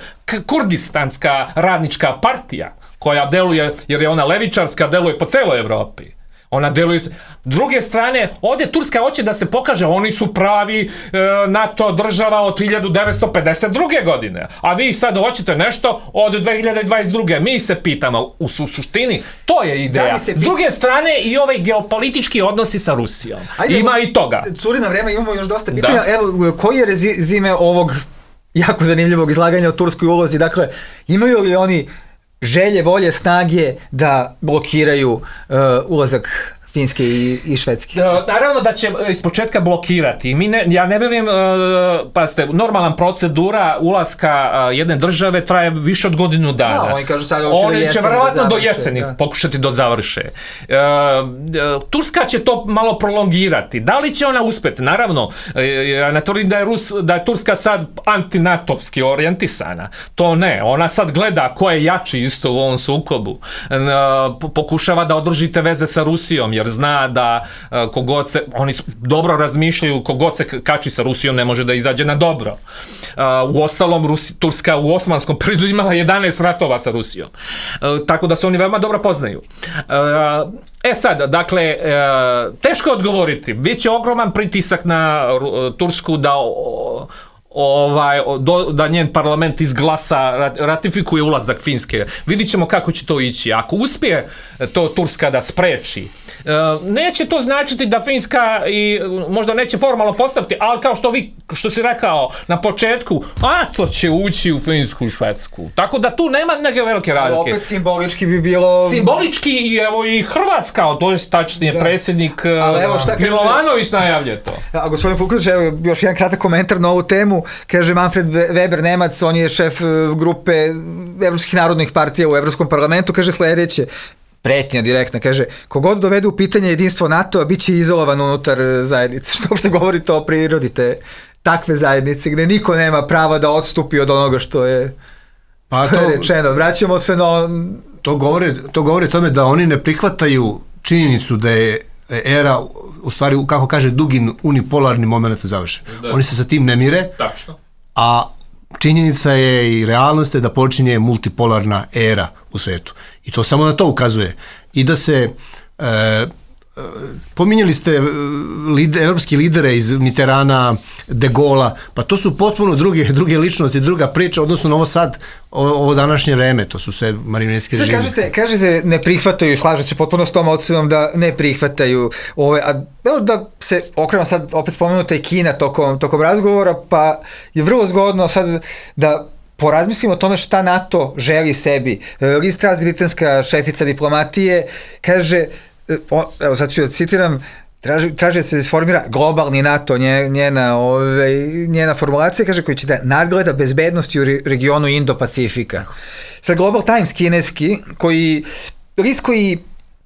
Speaker 5: kurdistanska radnička partija, koja deluje, jer je ona levičarska, deluje po celoj Evropi. Ona deluje... Druge strane, ovdje Turska hoće da se pokaže, oni su pravi e, NATO država od hiljadu devetsto pedeset druge. godine. A vi sad hoćete nešto od dve hiljade dvadeset druge. Mi se pitamo, u suštini, to je ideja. S druge strane, i ovaj geopolitički odnosi sa Rusijom. Ajde, ima i toga.
Speaker 3: Curi na vreme, imamo još dosta pitanja. Da. Evo, koji je rezime ovog jako zanimljivog izlaganja o turskoj ulozi? Dakle, imaju li oni želje, volje, snage da blokiraju uh, ulazak Finske i, i Švedske?
Speaker 5: Naravno da će iz početka blokirati. Mi ne, ja ne vjerujem, uh, pazite, normalna procedura ulaska uh, jedne države traje više od godinu dana.
Speaker 3: Da, oni kažu sad
Speaker 5: oni će verovatno do jeseni da. pokušati do završe. Uh, uh, Turska će to malo prolongirati. Da li će ona uspjeti? Naravno, uh, ja ne tvrdim da je, Rus, da je Turska sad antinatovski orijentisana. To ne. Ona sad gleda ko je jači isto u ovom sukobu. Uh, pokušava da održite veze sa Rusijom, jer zna da uh, kogod se, oni dobro razmišljaju, kogod se kači sa Rusijom ne može da izađe na dobro. Uh, u ostalom, Rusi, Turska u osmanskom periodu imala jedanaest ratova sa Rusijom. Uh, tako da se oni veoma dobro poznaju. Uh, e sad, dakle, uh, teško je odgovoriti. Već je ogroman pritisak na uh, Tursku da uh, ovaj, do, da njen parlament izglasa, ratifikuje ulazak Finske. Vidit ćemo kako će to ići. Ako uspije to Turska da spreči, neće to značiti da Finska i možda neće formalno postaviti, ali kao što vi, što si rekao na početku, a to će ući u Finsku i Švedsku. Tako da tu nema neke velike razlike.
Speaker 3: Ali opet simbolički bi bilo...
Speaker 5: Simbolički i evo i Hrvatska, to je tačnije da. Predsjednik evo, Milovanović najavlje to.
Speaker 3: A gospodin Puković, evo još jedan kratak komentar na ovu temu. Kaže Manfred Weber, Nemac, on je šef grupe evropskih narodnih partija u Evropskom parlamentu, kaže sledeće, pretnja direktna, kaže, kogod dovede u pitanje jedinstvo NATO-a, bit će izolovan unutar zajednice. Što uopšte govori to o prirodi te takve zajednice, gde niko nema prava da odstupi od onoga što je, pa što to, je rečeno. Vraćamo se na...
Speaker 4: To govori, to govori tome da oni ne prihvataju činjenicu da je era, u stvari, kako kaže Dugin, unipolarni moment završen. Da. Oni se sa tim ne mire,
Speaker 5: tačno.
Speaker 4: A činjenica je i realnost je da počinje multipolarna era u svetu. I to samo na to ukazuje. I da se, e, pominjali ste lider, evropski lidere iz Mitterana, De Gaulla, pa to su potpuno druge, druge ličnosti, druga priča, odnosno na ovo sad, ovo, ovo današnje vreme, to su sve marionetski režimi.
Speaker 3: Kažete, kažete ne prihvataju, slažete se potpuno s tom ocenom da ne prihvataju ove, a da se okrenu sad, opet spomenuta i Kina tokom, tokom razgovora, pa je vrlo zgodno sad da porazmislimo o tome šta NATO želi sebi. Liz Truss, britanska šefica diplomatije, kaže, o, evo sad ću da citiram, traži, traži da se formira globalni NATO, njena, ove, njena formulacija, kaže, koji će da nadgleda bezbednosti u regionu Indo-Pacifika. Sad Global Times kineski, koji, list koji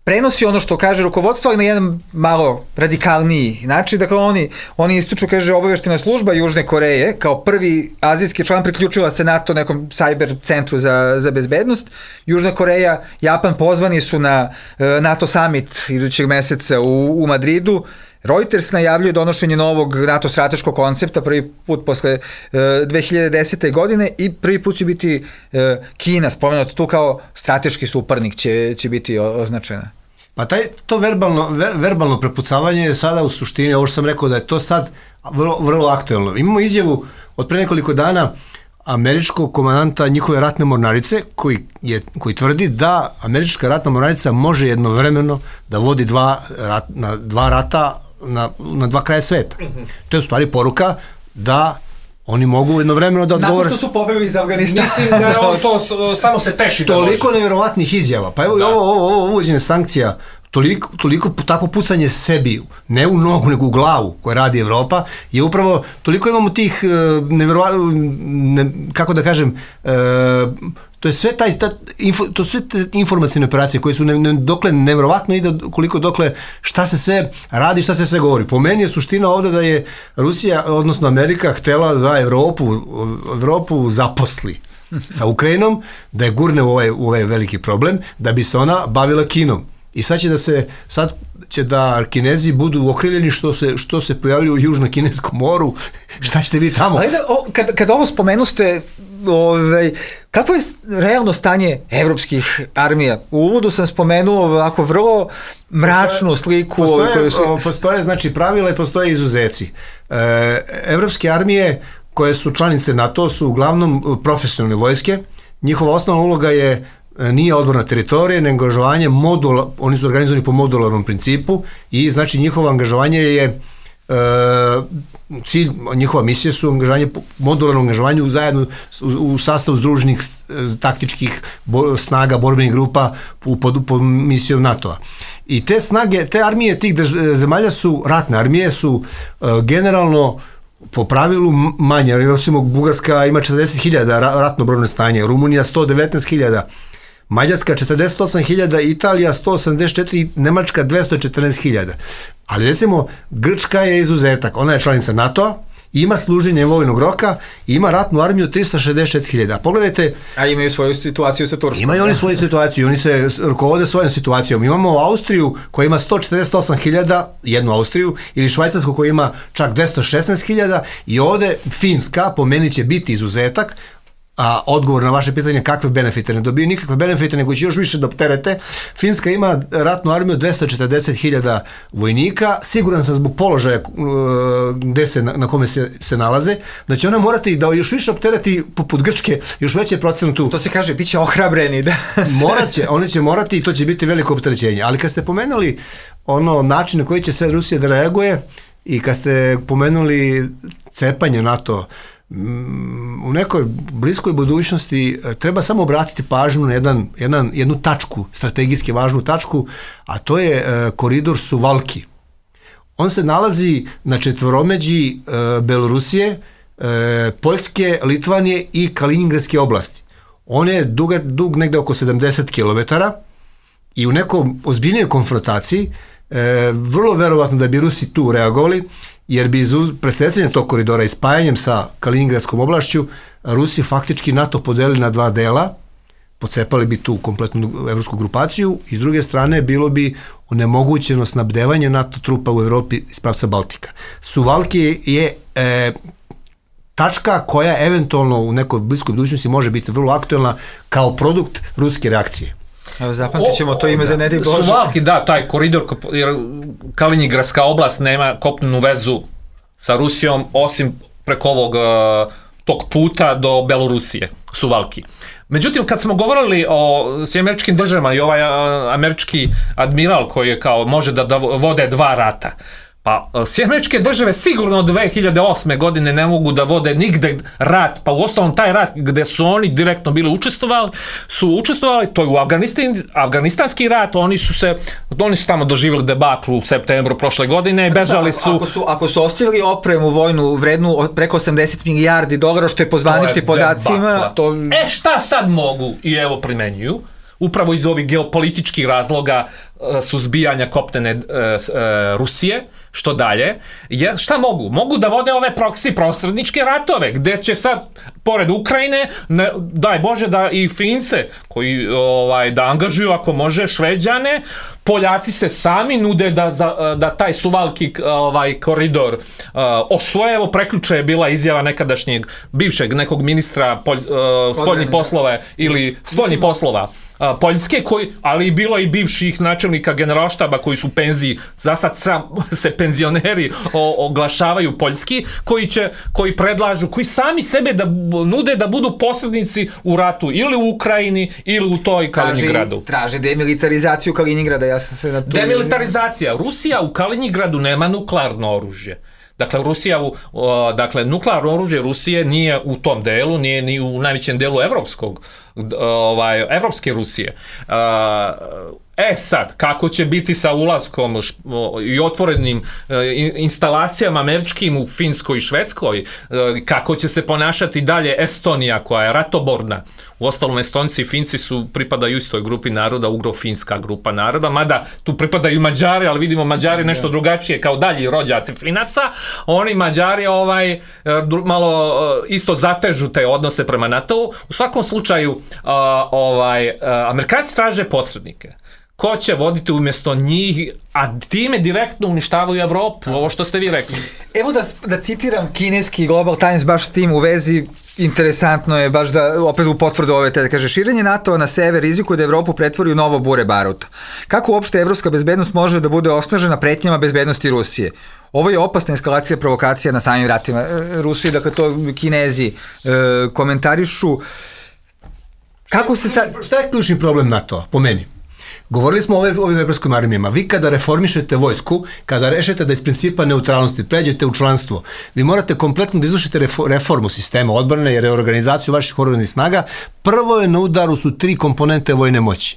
Speaker 3: prenosi ono što kaže rukovodstvo, ali na jedan malo radikalniji način. Dakle, oni, oni ističu, kaže, obaveštajna služba Južne Koreje, kao prvi azijski član priključila se NATO nekom cyber centru za, za bezbednost. Južna Koreja, Japan pozvani su na uh, NATO summit idućeg meseca u, u Madridu. Reuters najavljuje donošenje novog NATO strateškog koncepta prvi put posle uh, dve hiljade desete. godine i prvi put će biti uh, Kina spomenuta tu kao strateški suparnik će, će biti označena.
Speaker 4: Pa taj, to verbalno, ver, verbalno prepucavanje je sada u suštini, ovo što sam rekao da je to sad vrlo, vrlo aktuelno. Imamo izjavu od pre nekoliko dana američkog komandanta njihove ratne mornarice koji, je, koji tvrdi da američka ratna mornarica može jednovremeno da vodi dva, rat, na, dva rata na, na dva kraja sveta. Mm-hmm. To je u stvari poruka da oni mogu jednovremeno da odgovore...
Speaker 3: Nakon što su pobegli iz Afganistana.
Speaker 5: Mislim da je on to, samo se teši da
Speaker 4: toliko može. Nevjerovatnih izjava. Pa evo da. ovo, ovo, ovo uvođenje sankcija, toliko, toliko takvo pucanje sebi, ne u nogu, nego u glavu koje radi Evropa, je upravo, toliko imamo tih nevjerovatnih, ne, kako da kažem, e, to je sve taj, ta, info, to sve te informacijne operacije koje su ne, ne, dokle nevjerovatno ide koliko dokle šta se sve radi, šta se sve govori. Po meni je suština ovde da je Rusija, odnosno Amerika, htela da Evropu, Evropu zaposli sa Ukrajinom, da je gurne u ovaj, u ovaj veliki problem, da bi se ona bavila Kinom. I sad će da se, sad će da Kinezi budu okriljeni što se, što se pojavljuju u Južno-Kineskom moru, šta ćete vi tamo?
Speaker 3: Ali da, o, kad, kad ovo spomenuste, ovaj, kako je realno stanje evropskih armija? U uvodu sam spomenuo ovako vrlo mračnu sliku.
Speaker 4: Postoje,
Speaker 3: koju su...
Speaker 4: postoje znači pravila i postoje izuzeci. E, evropske armije koje su članice NATO su uglavnom profesionalne vojske. Njihova osnovna uloga je nije odbrana teritorije, nego angažovanje modula, oni su organizovani po modularnom principu i znači njihovo angažovanje je e, cilj, njihova misija su angažovanje, modularno angažovanje u zajedno u, u sastavu združenih taktičkih bo, snaga, borbenih grupa u, pod, pod misijom NATO-a. I te snage, te armije tih drž, zemalja su, ratne armije su e, generalno po pravilu manje, recimo Bugarska ima četrdeset hiljada ratno brojno stanje, Rumunija sto devetnaest hiljada, Mađarska četrdeset osam hiljada, Italija sto osamdeset četiri, Nemačka dvesta četrnaest hiljada. Ali recimo Grčka je izuzetak, ona je članica NATO-a, ima služenje vojnog roka i ima ratnu armiju trista šezdeset četiri hiljada. Pogledajte...
Speaker 3: A imaju svoju situaciju sa Turskom.
Speaker 4: Imaju oni svoju situaciju, oni se rukovode svojom situacijom. Imamo Austriju koja ima sto četrdeset osam hiljada, jednu Austriju, ili Švajcarsku koja ima čak dvesta šesnaest hiljada i ovde Finska, po meni će biti izuzetak, a odgovor na vaše pitanje kakve benefite, ne dobiju nikakve benefite, nego će još više da opterete. Finska ima ratnu armiju dvesta četrdeset hiljada vojnika, siguran sam zbog položaja gde se, na kome se, se nalaze, da će ona morati da još više optereti poput Grčke, još veće procentu.
Speaker 3: To se kaže, bit će ohrabreni, da.
Speaker 4: Morat će, oni će morati i to će biti veliko opterećenje. Ali kad ste pomenuli ono način na koji će sve Rusija da reaguje i kad ste pomenuli cepanje NATO, u nekoj bliskoj budućnosti treba samo obratiti pažnju na jedan, jedan, jednu tačku, strategijski važnu tačku, a to je e, koridor Suvalki. On se nalazi na četvoromeđi e, Belorusije, e, Poljske, Litvanije i Kaliningradske oblasti. On je dug, dug negde oko sedamdeset kilometara i u nekom ozbiljnoj konfrontaciji e, vrlo verovatno da bi Rusi tu reagovali, jer bi iz presecanja tog koridora i spajanjem sa Kaliningradskom oblašću Rusi faktički NATO podelili na dva dela, pocepali bi tu kompletnu evropsku grupaciju i s druge strane bilo bi onemogućeno snabdevanje NATO trupa u Evropi iz pravca Baltika. Suvalki je e, tačka koja eventualno u nekoj bliskoj budućnosti može biti vrlo aktuelna kao produkt ruske reakcije.
Speaker 3: Evo, zapamtit ćemo to ime za nedelju Bože.
Speaker 5: Suvalki, da, taj koridor, jer Kaliningradska oblast nema kopnenu vezu sa Rusijom, osim preko ovog tog puta do Belorusije, Suvalki. Međutim, kad smo govorili o američkim državama i ovaj američki admiral koji je kao može da, da vode dva rata, pa Sjedinjene države sigurno od dve hiljade osme godine ne mogu da vode nigde rat, pa u ostalom taj rat gde su oni direktno bili učestvovali, su učestvovali, to je u Afganistan, afganistanski rat, oni su se, oni su tamo doživjeli debaklu u septembru prošle godine i bežali su...
Speaker 3: Ako su, ako su ostavili opremu vojnu vrednu preko osamdeset milijardi dolara, što je po zvaničnim podacima... To...
Speaker 5: E šta sad mogu i evo primenjuju? Upravo iz ovih geopolitičkih razloga suzbijanja kopnene e, e, Rusije, što dalje, je, šta mogu? Mogu da vode ove proksi prosredničke ratove, gde će sad, pored Ukrajine, ne, daj Bože da i Fince, koji ovaj, da angažuju, ako može, Šveđane, Poljaci se sami nude da, za, da taj Suvalki ovaj, koridor uh, osvoje. Evo, preključe je bila izjava nekadašnjeg, bivšeg nekog ministra polj, uh, spoljnih poslova ili spoljnih poslova uh, Poljske, koji, ali i bilo i bivših načelnika generalštaba koji su u penziji, za sad sam, se penzioneri o, oglašavaju poljski, koji će, koji predlažu, koji sami sebe da nude da budu posrednici u ratu ili u Ukrajini ili u toj Kaliningradu.
Speaker 3: Traže demilitarizaciju Kaliningrada, ja sam se na tu...
Speaker 5: Demilitarizacija. Rusija u Kaliningradu nema nuklearno oružje. Dakle, Rusija, u, o, dakle, nuklearno oružje Rusije nije u tom delu, nije ni u najvećem delu evropskog, ovaj, evropske Rusije. E sad, kako će biti sa ulaskom i otvorenim instalacijama američkim u Finskoj i Švedskoj, kako će se ponašati dalje Estonija koja je ratoborna. U ostalom, Estonci i Finci su, pripadaju istoj grupi naroda, ugro-finska grupa naroda, mada tu pripadaju Mađari, ali vidimo Mađari nešto drugačije kao dalji rođaci Finaca. Oni Mađari ovaj, malo isto zatežu te odnose prema NATO-u. U svakom slučaju, ovaj, Amerikanci traže posrednike. Ko će voditi umjesto njih, a time direktno uništavaju Evropu, ovo što ste vi rekli.
Speaker 3: Evo da, da citiram kineski Global Times baš s tim u vezi, interesantno je baš da opet u potvrdu ove te, da kaže, širenje NATO na sever rizikuje da Evropu pretvori u novo bure baruta. Kako uopšte evropska bezbednost može da bude osnažena pretnjama bezbednosti Rusije? Ovo je opasna eskalacija provokacija na samim ratima Rusije, dakle to Kinezi e, komentarišu. Kako se sad...
Speaker 4: Šta je ključni problem NATO, po meni? Govorili smo o ovim evropskim armijama. Vi kada reformišete vojsku, kada rešete da iz principa neutralnosti pređete u članstvo, vi morate kompletno da izvršite reformu sistema odbrane i reorganizaciju vaših oružanih snaga. Prvo je na udaru su tri komponente vojne moći.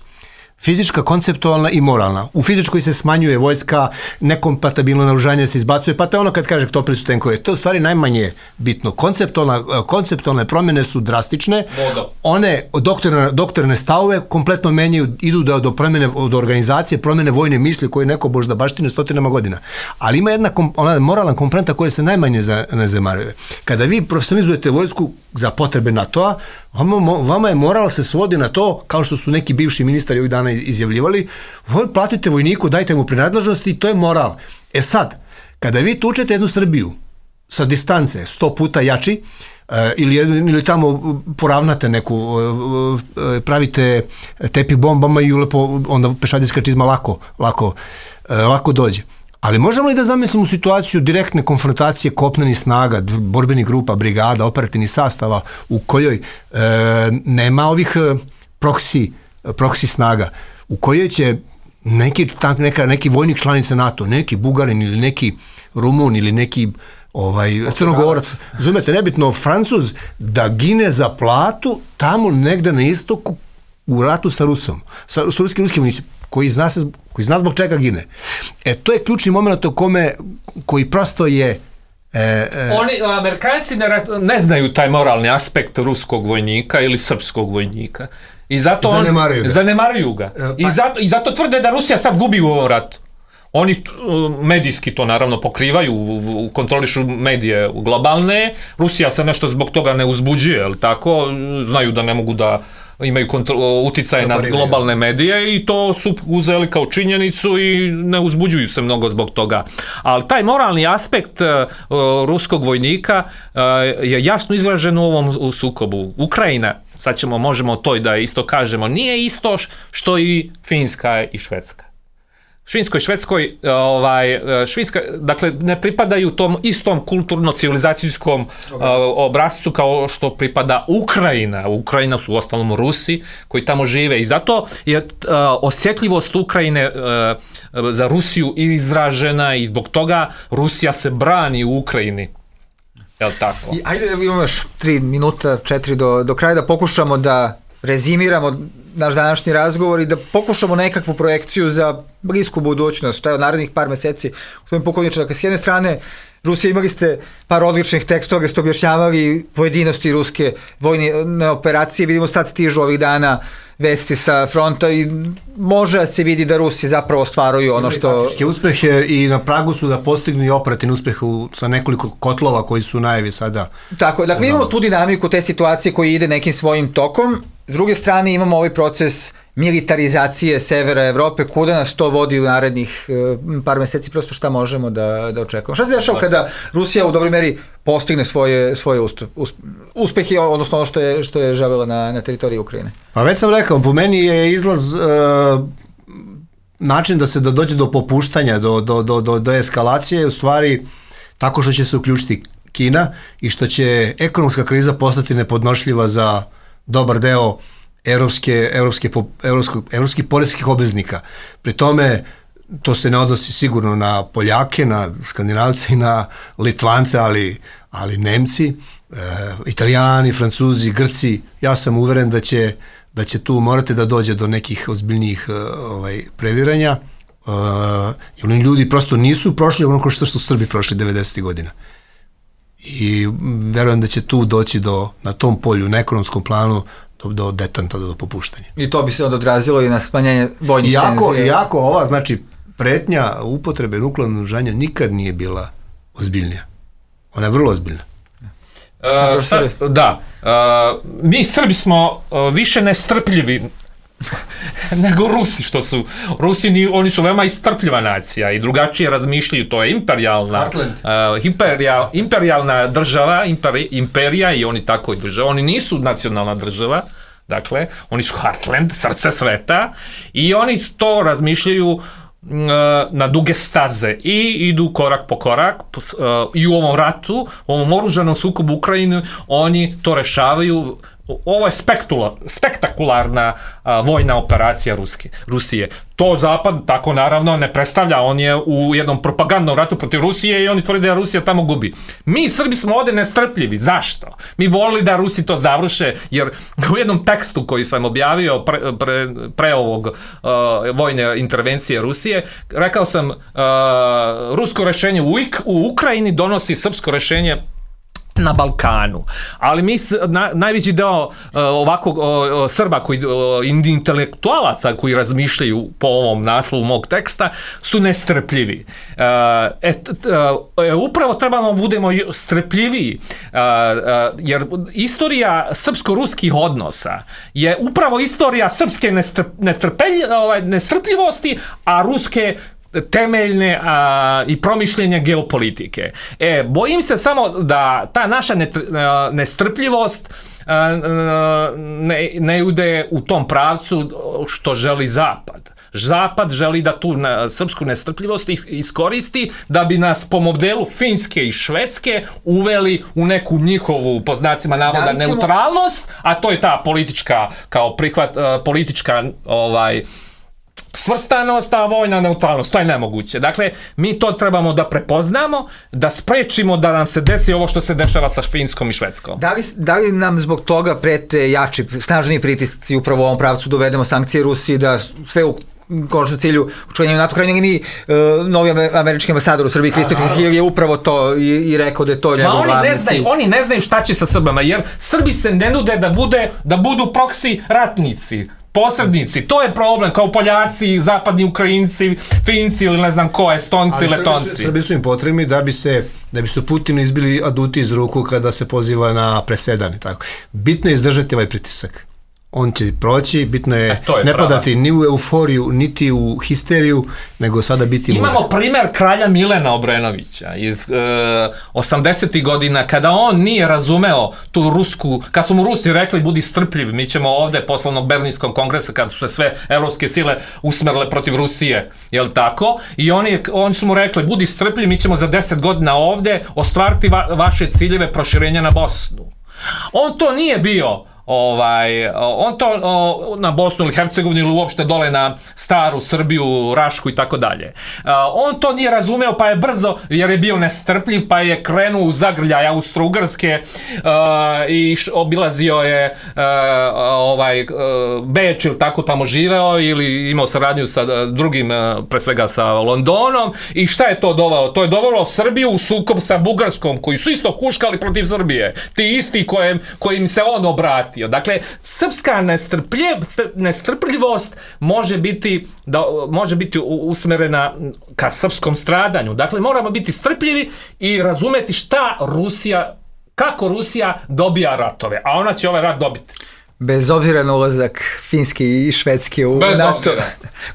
Speaker 4: Fizička, konceptualna i moralna. U fizičkoj se smanjuje vojska, nekompatibilno naoružanje se izbacuje, pa to je ono kad kaže topili su tenkove. To je u stvari najmanje bitno. Konceptualna, konceptualne promjene su drastične. Vodo. One doktorne, doktorne stavove kompletno menjaju, idu do, do promjene, do organizacije, promjene vojne misli koje neko možda baštine stotinama godina. Ali ima jedna ona moralna komponenta koja se najmanje ne zanemaruje. Kada vi profesionalizujete vojsku za potrebe NATO-a, vama, vama je moral se svodi na to, kao što su neki bivši ministari ovih dana izjavljivali, platite vojniku, dajte mu prinadležnosti i to je moral. E sad, kada vi tučete jednu Srbiju sa distance sto puta jači, ili, ili tamo poravnate neku, pravite tepih bombama i lepo, onda pešadijska čizma lako, lako, lako dođe. Ali možemo li da zamislimo situaciju direktne konfrontacije kopnenih snaga, borbenih grupa, brigada, operativnih sastava u kojoj e, nema ovih proksi, proksi snaga, u kojoj će neki, neka, neki vojnik članice NATO, neki Bugarin ili neki Rumun ili neki ovaj, Crnogorac, razumete, nebitno Francuz, da gine za platu tamo negde na istoku u ratu sa Rusom, sa, sa ruski, ruski vojnici, koji zna, se, koji zna zbog čega gine. E, to je ključni moment u kome, koji prosto je... E, e,
Speaker 5: Oni, Amerikanci ne, ne znaju taj moralni aspekt ruskog vojnika ili srpskog vojnika. I zato
Speaker 4: zanemaruju
Speaker 5: on,
Speaker 4: ga.
Speaker 5: Zanemaruju ga.
Speaker 4: Pa,
Speaker 5: I, zato, I zato tvrde da Rusija sad gubi u ovom ratu. Oni medijski to naravno pokrivaju, kontrolišu medije globalne. Rusija se nešto zbog toga ne uzbuđuje, jel tako? Znaju da ne mogu da imaju uticaje na globalne medije i to su uzeli kao činjenicu i ne uzbuđuju se mnogo zbog toga. Ali taj moralni aspekt uh, ruskog vojnika uh, je jasno izražen u ovom sukobu. Ukrajina, sad ćemo, možemo to i da isto kažemo, nije isto što i Finska i Švedska. Švinskoj, Švedskoj, ovaj, Švinska, dakle, ne pripadaju tom istom kulturno-civilizacijskom uh, obrazcu kao što pripada Ukrajina. Ukrajina su u ostalom Rusi koji tamo žive i zato je uh, osjetljivost Ukrajine uh, za Rusiju izražena i zbog toga Rusija se brani u Ukrajini. Jel tako?
Speaker 3: I, ajde, imamo još tri minuta, četiri do, do kraja da pokušamo da rezimiramo naš današnji razgovor i da pokušamo nekakvu projekciju za blisku budućnost, taj od narednih par meseci. Gospodin Pukovniče, dakle, s jedne strane, Rusija, imali ste par odličnih tekstova gdje ste objašnjavali pojedinosti ruske vojne operacije, vidimo sad stižu ovih dana vesti sa fronta i može da se vidi da Rusi zapravo ostvaruju ono što...
Speaker 4: Taktičke uspehe i na pragu su da postignu i operativni uspeh u, sa nekoliko kotlova koji su najavi sada.
Speaker 3: Tako, dakle imamo tu dinamiku te situacije koji ide nekim svojim tokom. S druge strane imamo ovaj proces militarizacije severa Evrope, kuda nas to vodi u narednih uh, par meseci, prosto šta možemo da, da očekujemo. Šta se dešava kada Rusija u dobroj meri postigne svoje, svoje ustup, usp, uspehe, odnosno ono što je, što je želela na, na teritoriji Ukrajine?
Speaker 4: Pa već sam rekao, po meni je izlaz uh, način da se do, dođe do popuštanja, do, do, do, do, do eskalacije, u stvari tako što će se uključiti Kina i što će ekonomska kriza postati nepodnošljiva za dobar deo evropske, evropske, evropskog, evropskih poreskih obveznika. Pri tome, to se ne odnosi sigurno na Poljake, na Skandinavce i na Litvance, ali, ali Nemci, e, Italijani, Francuzi, Grci, ja sam uveren da će, da će tu morati da dođe do nekih ozbiljnijih ovaj, previranja. E, jer oni ljudi prosto nisu prošli ono što su Srbi prošli devedesetih godina. I verujem da će tu doći do, na tom polju, na ekonomskom planu, do, do detanta, do, do popuštanja.
Speaker 3: I to bi se onda odrazilo i na smanjenje vojnih tenzija.
Speaker 4: Iako ova, znači, pretnja upotrebe nuklearnog naoružanja nikad nije bila ozbiljnija. Ona je vrlo ozbiljna.
Speaker 5: Uh, šta, da, uh, mi Srbi smo uh, više nestrpljivi nego Rusi, što su Rusi, ni, oni su veoma istrpljiva nacija i drugačije razmišljaju, to je imperijalna uh, imperija, imperijalna država, imperi, imperija i oni tako i država, oni nisu nacionalna država, dakle, oni su Heartland, srce sveta i oni to razmišljaju uh, na duge staze i idu korak po korak uh, i u ovom ratu, u ovom oružanom sukobu u Ukrajini, oni to rešavaju. Ovo je spektula, spektakularna a, vojna operacija Ruske, Rusije. To Zapad tako naravno ne predstavlja, on je u jednom propagandnom ratu protiv Rusije i oni tvrde da Rusija tamo gubi. Mi Srbi smo ovdje nestrpljivi. Zašto? Mi volili da Rusi to završe, jer u jednom tekstu koji sam objavio pre, pre, pre ovog uh, vojne intervencije Rusije, rekao sam uh, rusko rešenje u, u Ukrajini donosi srpsko rešenje na Balkanu. Ali mi, na, najveći deo uh, ovakvog uh, Srba, koji, uh, intelektualaca koji razmišljaju po ovom naslovu mog teksta, su nestrpljivi. Uh, et, uh, upravo trebamo da budemo strpljiviji, uh, uh, jer istorija srpsko-ruskih odnosa je upravo istorija srpske nestrp, nestrpelj, uh, nestrpljivosti, a ruske temeljne a, i promišljenja geopolitike. E, bojim se samo da ta naša nestrpljivost ne, ne ide u tom pravcu što želi Zapad. Zapad želi da tu na, srpsku nestrpljivost iskoristi da bi nas po modelu Finske i Švedske uveli u neku njihovu, po znacima navoda, ćemo... neutralnost, a to je ta politička, kao prihvat, uh, politička ovaj, svrstanost, a vojna neutralnost, to je nemoguće. Dakle, mi to trebamo da prepoznamo, da sprečimo da nam se desi ovo što se dešava sa Finskom i Švedskom.
Speaker 3: Da li, da li nam zbog toga prete jači, snažniji pritisci upravo u ovom pravcu dovedemo sankcije Rusiji, da sve u konačnom cilju učlanjenju NATO krajnjeg ni uh, novi američki ambasador u Srbiji Christopher Hill je upravo to i, i rekao da je to njegov glavni cilj.
Speaker 5: Oni ne znaju šta će sa Srbama, jer Srbi se ne nude da, bude, da budu proksi ratnici, posrednici, to je problem, kao Poljaci, zapadni Ukrajinci, Finci ili ne znam ko, Estonci, ali Letonci.
Speaker 4: Srbi, Srbi su im potrebni da bi se da bi su Putinu izbili aduti iz ruku kada se poziva na presedan i tako. Bitno je izdržati ovaj pritisak. On će proći, bitno je, je ne padati ni u euforiju, niti u histeriju, nego sada biti mudar.
Speaker 5: Imamo primer kralja Milena Obrenovića iz e, osamdesetih godina, kada on nije razumeo tu rusku, kad su mu Rusi rekli budi strpljiv, mi ćemo ovde poslovnog Berlinskog kongresa, kada su se sve evropske sile usmerile protiv Rusije, jel tako? I oni, oni su mu rekli budi strpljiv, mi ćemo za deset godina ovde ostvariti va, vaše ciljeve proširenja na Bosnu. On to nije bio ovaj, on to o, na Bosnu ili Hercegovinu ili uopšte dole na staru Srbiju, Rašku i tako dalje. On to nije razumeo pa je brzo, jer je bio nestrpljiv, pa je krenuo u zagrljaj Austro-Ugarske uh, i š, obilazio je uh, ovaj, uh, Beč ili tako tamo živeo ili imao saradnju sa drugim, uh, pre svega sa Londonom i šta je to dovelo? To je dovelo Srbiju u sukob sa Bugarskom koji su isto huškali protiv Srbije. Ti isti kojem, kojim se on obratio. Dakle, srpska nestrpljivost može biti, da, može biti usmerena ka srpskom stradanju. Dakle, moramo biti strpljivi i razumeti šta Rusija, kako Rusija dobija ratove, a ona će ovaj rat dobiti.
Speaker 3: Bez obzira na ulazak Finske i Švedske u
Speaker 5: Bez
Speaker 3: NATO.
Speaker 5: Obzira.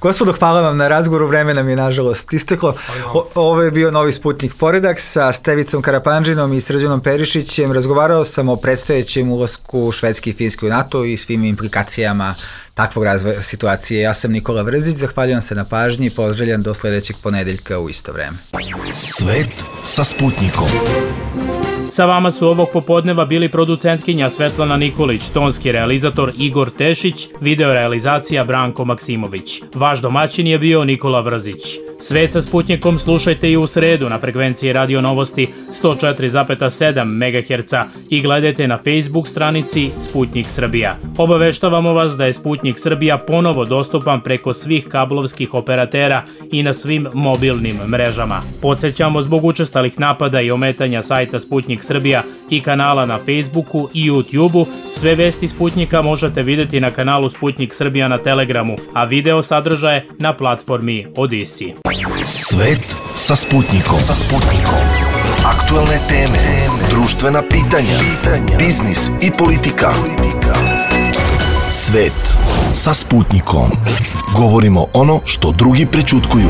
Speaker 3: Gospodo, hvala vam na razgovoru, vreme nam je nažalost isteklo. O, ovo je bio Novi Sputnik Poredak sa Stevicom Karapanđinom i Srđanom Perišićem. Razgovarao sam o predstojećem ulasku Švedske i Finske u NATO i svim implikacijama takvog razvoja situacije. Ja sam Nikola Vrzić, zahvaljujem se na pažnji i poželjam do sledećeg ponedeljka u isto vreme.
Speaker 1: Svet sa Sputnikom.
Speaker 2: Sa vama su ovog popodneva bili producentkinja Svetlana Nikolić, tonski realizator Igor Tešić, video realizacija Branko Maksimović. Vaš domaćin je bio Nikola Vrzić. Svet sa Sputnikom slušajte i u sredu na frekvenciji Radio Novosti sto četiri zarez sedam megaherca i gledajte na Facebook stranici Sputnik Srbija. Obaveštavamo vas da je Sputnik Srbija ponovo dostupan preko svih kablovskih operatera i na svim mobilnim mrežama. Podsećamo, zbog učestalih napada i ometanja sajta Sputnik Srbija i kanala na Facebooku i YouTubeu, sve vesti Sputnika možete vidjeti na kanalu Sputnik Srbija na Telegramu, a video sadržaje na platformi Odisi.
Speaker 1: Svet sa Sputnikom. Sa Sputnikom. Aktualne teme, društvena pitanja, biznis i politika. Svet sa Sputnikom. Govorimo ono što drugi prećutkuju.